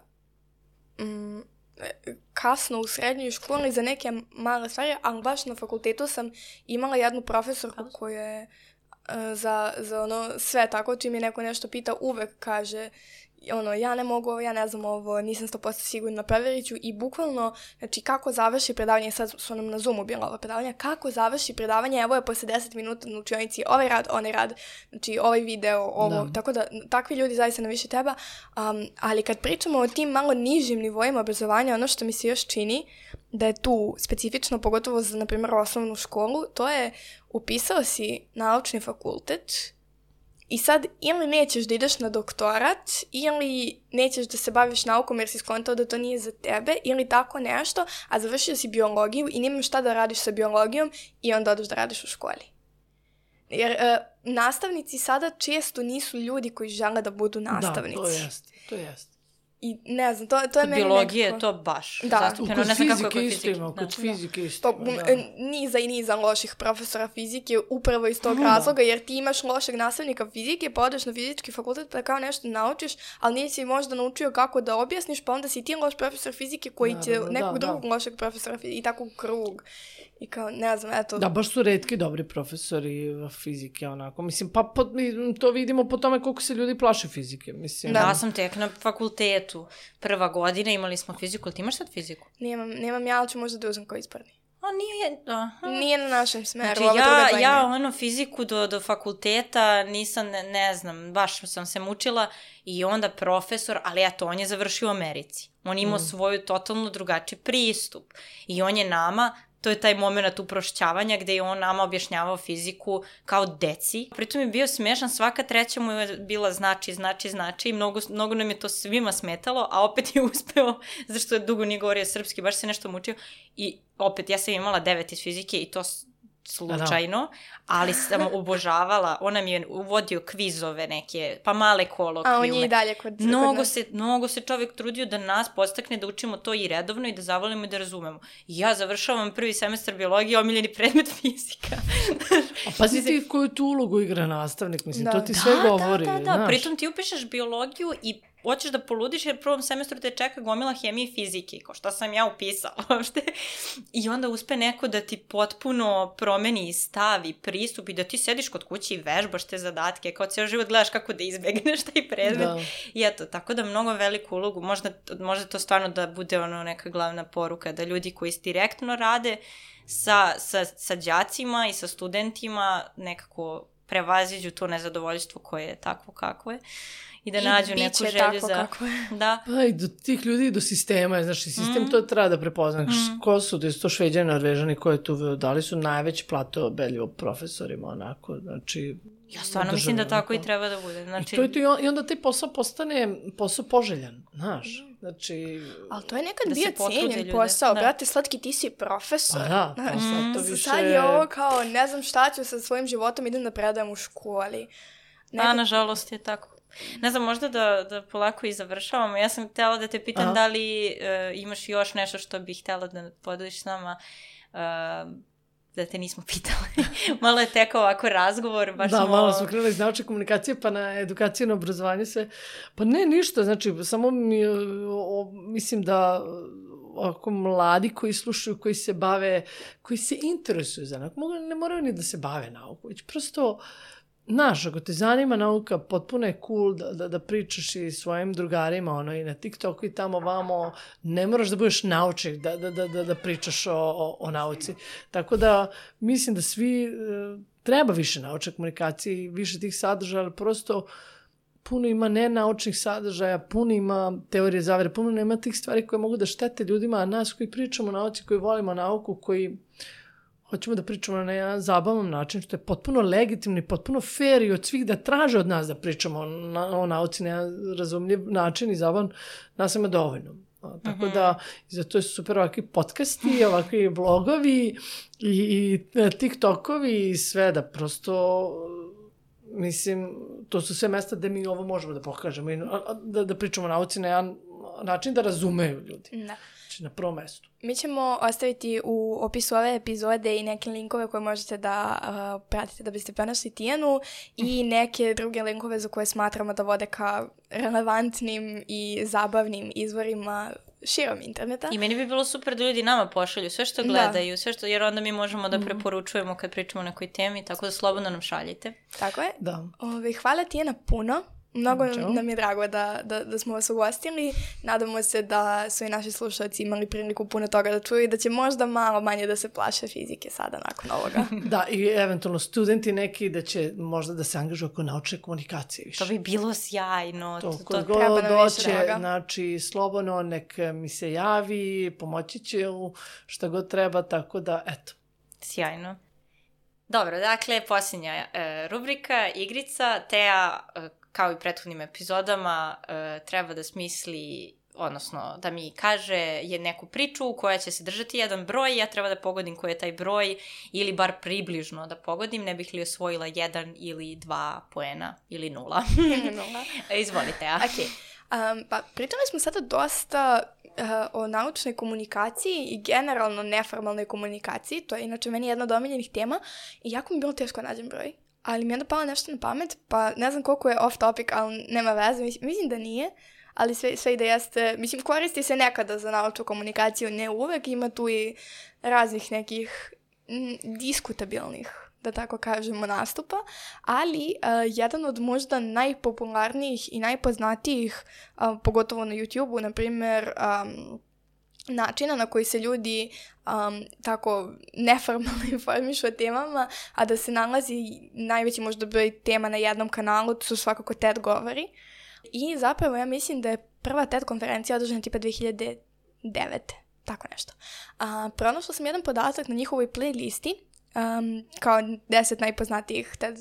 kasno u srednjoj školi za neke male stvari, ali baš na fakultetu sam imala jednu profesorku koja je za sve tako, čim je neko nešto pita, uvek kaže ja ne mogu ovo, ja ne znam ovo, nisam 100% sigurna, provjerit ću i bukvalno, znači kako završi predavanje, sad su nam na Zoomu bila ova predavanja, kako završi predavanje, evo je posle 10 minuta na učionici ovaj rad, onaj rad, znači ovaj video, ovo, tako da takvi ljudi zaista na više treba, ali kad pričamo o tim malo nižim nivoima obrazovanja, ono što mi se još čini da je tu specifično, pogotovo za, na primjer, osnovnu školu, to je upisao si naučni fakultet i sad ili nećeš da ideš na doktorat, ili nećeš da se baviš naukom jer si skontao da to nije za tebe, ili tako nešto, a završio si biologiju i nemaš šta da radiš sa biologijom i onda odeš da radiš u školi. Jer nastavnici sada često nisu ljudi koji žele da budu nastavnici. Da, to jest. I ne znam, to je meni biologije nekako... to baš. Da. Kod fizike isto ima, kod fizike isto. Niza i niza loših profesora fizike upravo iz tog razloga, jer ti imaš lošeg nastavnika fizike, pa odeš na fizički fakultet pa kao nešto naučiš, ali nisi možda naučio kako da objasniš, pa onda si ti loš profesor fizike koji će nekog drugog lošeg profesora fizike i tako krug. I kao, ne znam, eto... Da, baš su retki dobri profesori fizike, onako. Mislim, pa to vidimo po tome koliko se ljudi plaše fizike, mislim. Da, ja sam tek na fakultetu. Prva godina imali smo fiziku, ali ti imaš sad fiziku? Nemam ja, ali ću možda da uzem koji ispravni. Nije na našem smeru. Znači, ja fiziku do fakulteta nisam, ne znam, baš sam se mučila i onda profesor, ali eto, on je završio u Americi. On imao svoju totalno drugačiji pristup i on je nama... To je taj moment uprošćavanja gde je on nama objašnjavao fiziku kao deci. Pritom je bio smešan, svaka treća mu je bila znači i mnogo nam je to svima smetalo, a opet je uspeo, zašto je dugo nije govorio srpski, baš se nešto mučio. I opet, ja sam imala 9 iz fizike i to slučajno, ali sam obožavala, on nam je uvodio kvizove neke, pa male kolokvijume. A on je i dalje kod Mnogo se čovjek trudio da nas podstakne da učimo to i redovno i da zavolimo i da razumemo. I ja završavam prvi semestar biologije, omiljeni predmet fizika. A pazi ti koju tu ulogu igra nastavnik, mislim, to ti sve govori. Da, pritom ti upišeš biologiju i hoćeš da poludiš jer prvom semestru te čeka gomila hemije i fizike, kao šta sam ja upisala uopšte. I onda uspe neko da ti potpuno promeni stav i pristup i da ti sediš kod kuće i vežbaš te zadatke, kao cijel život gledaš kako da izbegneš taj predmet. Da. I eto, tako da mnogo veliku ulogu, možda to stvarno da bude neka glavna poruka, da ljudi koji direktno rade sa đacima i sa studentima nekako prevaziđu to nezadovoljstvo koje je takvo kakvo je i da nađu neku želju za... Da. Pa i do tih ljudi i do sistema, znači sistem to treba da prepozna. Ko su, da su to Šveđani, Norvežani koje tu dali su najveći plato beljivo profesorima, onako, znači... Ja stvarno mislim da tako i treba da bude. Znači... I onda taj posao postane posao poželjan, znaš. Znači... Ali to je nekad bio cijenjen posao. Brate, Slatki, ti si profesor. Da, to više... Sad je ovo kao, ne znam šta ću sa svojim životom, idem da predajem u školi. Da, nažalost je tako. Ne znam, možda da polako i završavamo. Ja sam htjela da te pitam da li imaš još nešto što bih htjela da podeliš s nama, da te nismo pitali. Malo je tekao ovako razgovor. Baš malo smo krenuli iz naučne komunikacije pa na edukaciju, na obrazovanje sve. Pa ne, ništa, znači samo mislim da ovako mladi koji slušaju, koji se bave, koji se interesuju za nauku, ne moraju ni da se bave nauku, već prosto znaš, ako te zanima nauka, potpuno je cool da pričaš i svojim drugarima i na TikToku i tamo vamo, ne moraš da budeš naučnik da pričaš o nauci. Tako da mislim da svi treba više naučne komunikacije i više tih sadržaja, ali prosto puno ima nenaučnih sadržaja, puno ima teorije zavere, puno nema tih stvari koje mogu da štete ljudima, a nas koji pričamo o nauci, koji volimo nauku, koji hoćemo da pričamo na jedan zabavan način, što je potpuno legitimno i potpuno fair i od svih da traže od nas da pričamo o nauci na jedan razumljiv način i zabavan, nas ima dovoljno. Tako da, zato su super ovakvi podcasti, ovakvi blogovi i TikTokovi i sve da prosto, mislim, to su sve mesta gde mi ovo možemo da pokažemo i da pričamo o nauci na jedan način da razumeju ljudi. Da. Znači, na prvom mestu. Mi ćemo ostaviti u opisu ove epizode i neke linkove koje možete da pratite da biste pronašli Tijanu i neke druge linkove za koje smatramo da vode ka relevantnim i zabavnim izvorima širom interneta. I meni bi bilo super da ljudi nama pošalju sve što gledaju, sve što, jer onda mi možemo da preporučujemo kad pričamo o nekoj temi, tako da slobodno nam šaljite. Tako je. Da. Hvala Tijana puno. Mnogo nam je drago da smo vas ugostili. Nadamo se da su i naši slušalci imali priliku puno toga da čuju i da će možda malo manje da se plaše fizike sada nakon ovoga. Da, i eventualno studenti neki da će možda da se angažuju oko naučne komunikacije više. To bi bilo sjajno. To treba nam više toga. Znači, slobodno nek mi se javi, pomoći će šta god treba, tako da, eto. Sjajno. Dobro, dakle, posljednja rubrika, igrica. Teja, kao i prethodnim epizodama, treba da smisli, odnosno da mi kaže je neku priču koja će se držati jedan broj, ja treba da pogodim koji je taj broj ili bar približno da pogodim, ne bih li osvojila 1 ili 2 poena ili 0. Izvolite, ja. Okay. Pa pričali smo sada dosta o naučnoj komunikaciji i generalno neformalnoj komunikaciji, to je inače meni jedna od omiljenih tema i jako mi bilo teško nađem broj. Ali mi je onda palo nešto na pamet, pa ne znam koliko je off topic, ali nema veze, mislim da nije, ali sve i da jeste, mislim koristi se nekada za naučnu komunikaciju, ne uvek, ima tu i raznih nekih diskutabilnih, da tako kažemo, nastupa, ali jedan od možda najpopularnijih i najpoznatijih, pogotovo na YouTube-u, na primjer, načina na koji se ljudi tako neformalno informišu o temama, a da se nalazi najveći možda broj tema na jednom kanalu, to su svakako TED govori. I zapravo ja mislim da je prva TED konferencija održana tipa 2009. Tako nešto. Pronašla sam jedan podatak na njihovoj playlisti, kao 10 najpoznatijih TED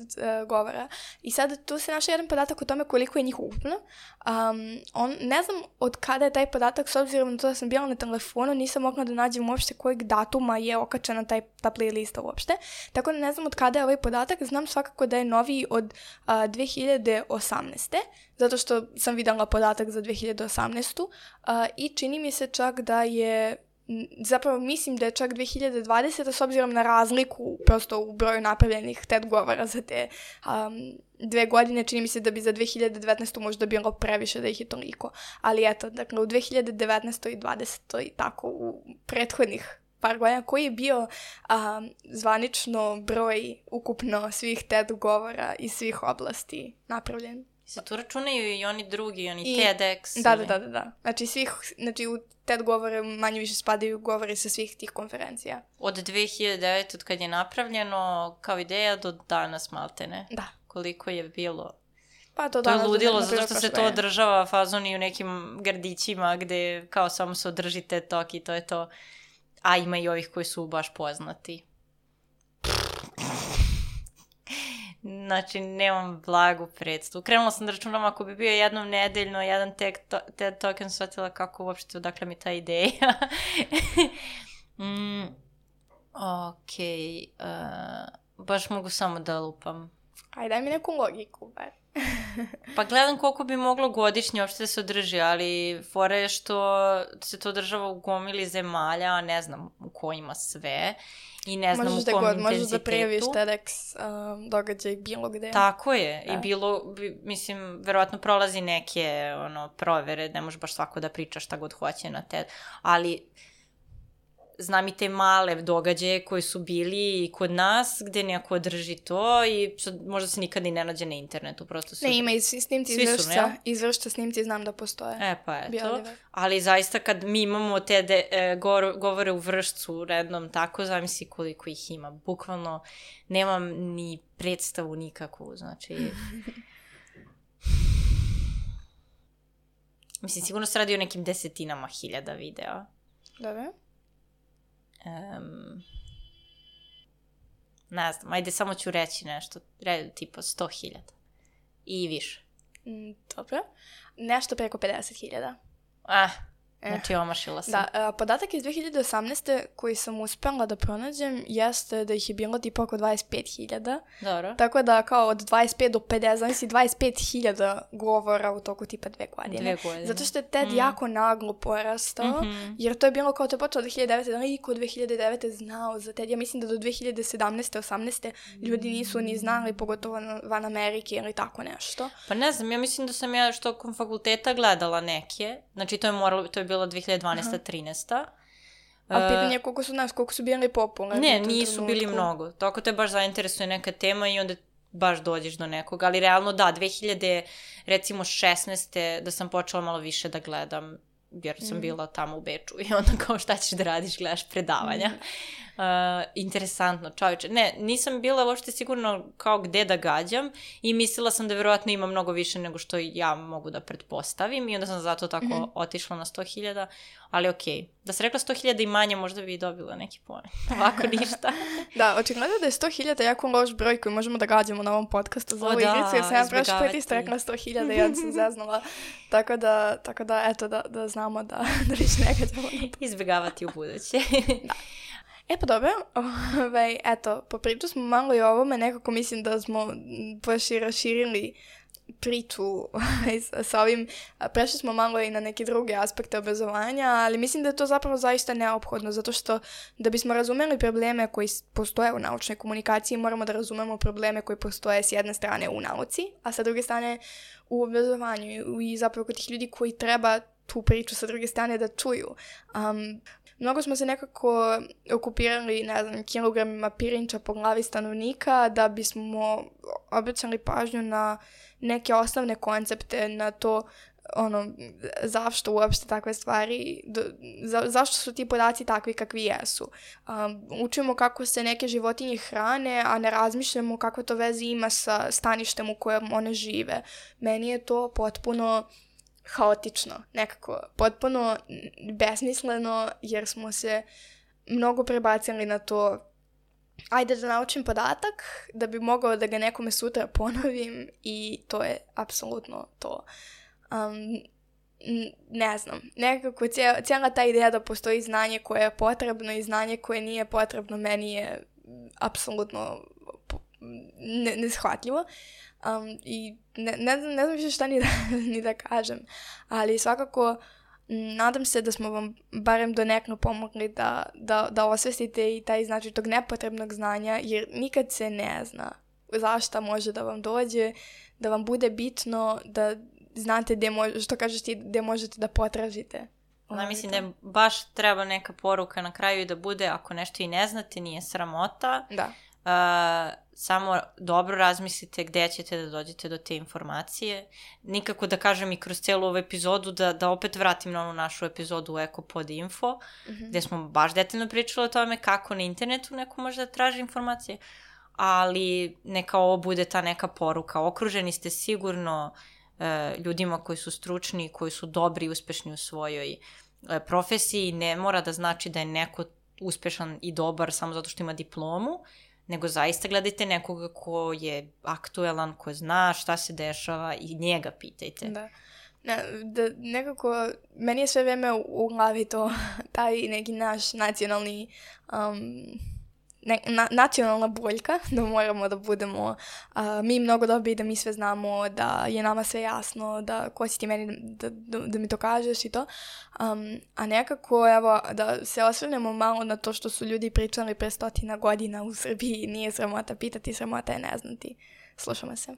govora. I sad tu se našao jedan podatak o tome koliko je njih ukupno. Ne znam od kada je taj podatak, s obzirom na to da sam bila na telefonu, nisam mogla da nađem uopšte kojeg datuma je okačena ta playlista uopšte. Tako da ne znam od kada je ovaj podatak, znam svakako da je noviji od 2018. Zato što sam videla podatak za 2018. I čini mi se čak da je zapravo mislim da je čak 2020. s obzirom na razliku prosto u broju napravljenih TED govora za te 2 godine, čini mi se da bi za 2019. možda bilo previše da ih je toliko. Ali eto, dakle u 2019. i 2020. i tako u prethodnih par godina, koji je bio zvanično broj ukupno svih TED govora iz svih oblasti napravljen? Se tu računaju i oni drugi, oni TEDx? Da. Znači u TED govore manje više spadaju govori sa svih tih konferencija. Od 2009. od kad je napravljeno kao ideja do danas maltene. Da. Koliko je bilo? Pa to je ludilo, zato što se to održava fazon i u nekim gradićima gde kao samo se održi TED Talk i to je to. A ima i ovih koji su baš poznati. Znači, nemam blagu predstavu. Krenula sam da računam ako bi bio jednom nedeljno jedan TED Talk, sam shvatila kako uopšte odakle mi ta ideja. Okej. Baš mogu samo da lupam. Ajde, daj mi neku logiku, bar. Pa gledam koliko bi moglo godišnje uopšte da se održi, ali fora je što se to održava u gomili zemalja, a ne znam u kojima sve i ne znam u kom intenzitetu. Možeš da prijaviš TEDx događaj bilo gde. Tako je. Da. I bilo, mislim, verovatno prolazi neke provere, ne može baš svako da priča šta god hoće na TED, ali znam i te male događaje koji su bili kod nas, gde neko drži to i možda se nikad i ne nađe na internetu. Prosto su... Ne, ima i snimci izvršća snimci, znam da postoje. Pa eto. Ali zaista kad mi imamo te govore u Vršcu rednom tako, zamisli koliko ih ima. Bukvalno nemam ni predstavu nikakvu, znači... Mislim, sigurno se radi o nekim 10,000 videa. Dobro. Ne znam, ajde samo ću reći nešto, tipa 100,000 i više. Dobro, nešto preko 50,000. Znači omašila sam. Da, podatak iz 2018. koji sam uspela da pronađem jeste da ih je bilo tipa oko 25,000. Dobro. Tako da kao od 25 do 50, znači 25,000 govora u toku tipa 2 godine. Zato što je TED jako naglo porastao, jer to je bilo kao to je počelo 2009. Da niko od 2009. znao za TED. Ja mislim da do 2017. 18. ljudi nisu ni znali, pogotovo van Amerike ili tako nešto. Pa ne znam, ja mislim da sam ja tokom fakulteta gledala neke, znači to je bilo 2012-13. Ali pitanje je koliko su bili popularni. Ne, nisu bili mnogo. Tako te baš zainteresuje neka tema i onda baš dođeš do nekog. Ali realno da, 2016. da sam počela malo više da gledam, jer sam bila tamo u Beču i onda kao šta ćeš da radiš, gledaš predavanja. Interesantno, čovječe. Ne, nisam bila uopšte sigurno kao gde da gađam i mislila sam da verovatno ima mnogo više nego što ja mogu da pretpostavim i onda sam zato tako otišla na 100,000, ali okej. Da se rekla 100,000 i manje, možda bi dobila neki poen. Ovako ništa. Da, očigledno da je 100,000 jako loš broj koji možemo da gađamo na ovom podcastu za ovu igricu, jer sam ja prošli put isto rekla 100,000 i onda sam zeznula. Tako da, eto, da znamo da više ne gađamo na to. Izbjegavati u buduće. Da. Pa dobro, eto, popričali smo malo i o ovome, nekako mislim da smo baš i raširili priču sa ovim, prešli smo malo i na neke druge aspekte obrazovanja, ali mislim da je to zapravo zaista neophodno, zato što da bismo razumeli probleme koji postoje u naučnoj komunikaciji, moramo da razumemo probleme koji postoje s jedne strane u nauci, a sa druge strane u obrazovanju i zapravo kod tih ljudi koji treba tu priču sa druge strane da čuju. Mnogo smo se nekako okupirali, ne znam, kilogramima pirinča po glavi stanovnika da bismo obraćali pažnju na neke osnovne koncepte, na to zašto uopšte takve stvari, zašto su ti podaci takvi kakvi jesu. Učimo kako se neke životinje hrane, a ne razmišljamo kakve to veze ima sa staništem u kojem one žive. Meni je to potpuno haotično, nekako, potpuno besmisleno, jer smo se mnogo prebacili na to ajde da naučim podatak da bi mogao da ga nekome sutra ponovim i to je apsolutno to. Ne znam, nekako cijela ta ideja da postoji znanje koje je potrebno i znanje koje nije potrebno meni je apsolutno neshvatljivo. I ne znam više šta ni da kažem, ali svakako nadam se da smo vam barem donekle pomogli da osvestite i taj značaj tog nepotrebnog znanja, jer nikad se ne zna zašta može da vam dođe, da vam bude bitno, da znate što kažeš ti, gde možete da potražite. Mislim da baš treba neka poruka na kraju i da bude ako nešto i ne znate, nije sramota. Da. samo dobro razmislite gde ćete da dođete do te informacije. Nikako da kažem i kroz celu ovu epizodu da opet vratim na onu našu epizodu u Ekopod Info, gde smo baš detaljno pričali o tome kako na internetu neko može da traži informacije, ali neka ovo bude ta neka poruka. Okruženi ste sigurno ljudima koji su stručni, koji su dobri i uspešni u svojoj profesiji. Ne mora da znači da je neko uspešan i dobar samo zato što ima diplomu, nego zaista gledajte nekoga ko je aktuelan, ko zna šta se dešava i njega pitajte. Da. Nekako, meni je sve vreme u glavi to, taj neki naš nacionalni, nacionalna boljka, da moramo da budemo mi mnogo dobri, da mi sve znamo, da je nama sve jasno, da ko si ti meni da mi to kažeš i to. A nekako, evo, da se osvrnemo malo na to što su ljudi pričali pre 100 godina u Srbiji, nije sramota pitati, sramota je ne znati. Slušamo se.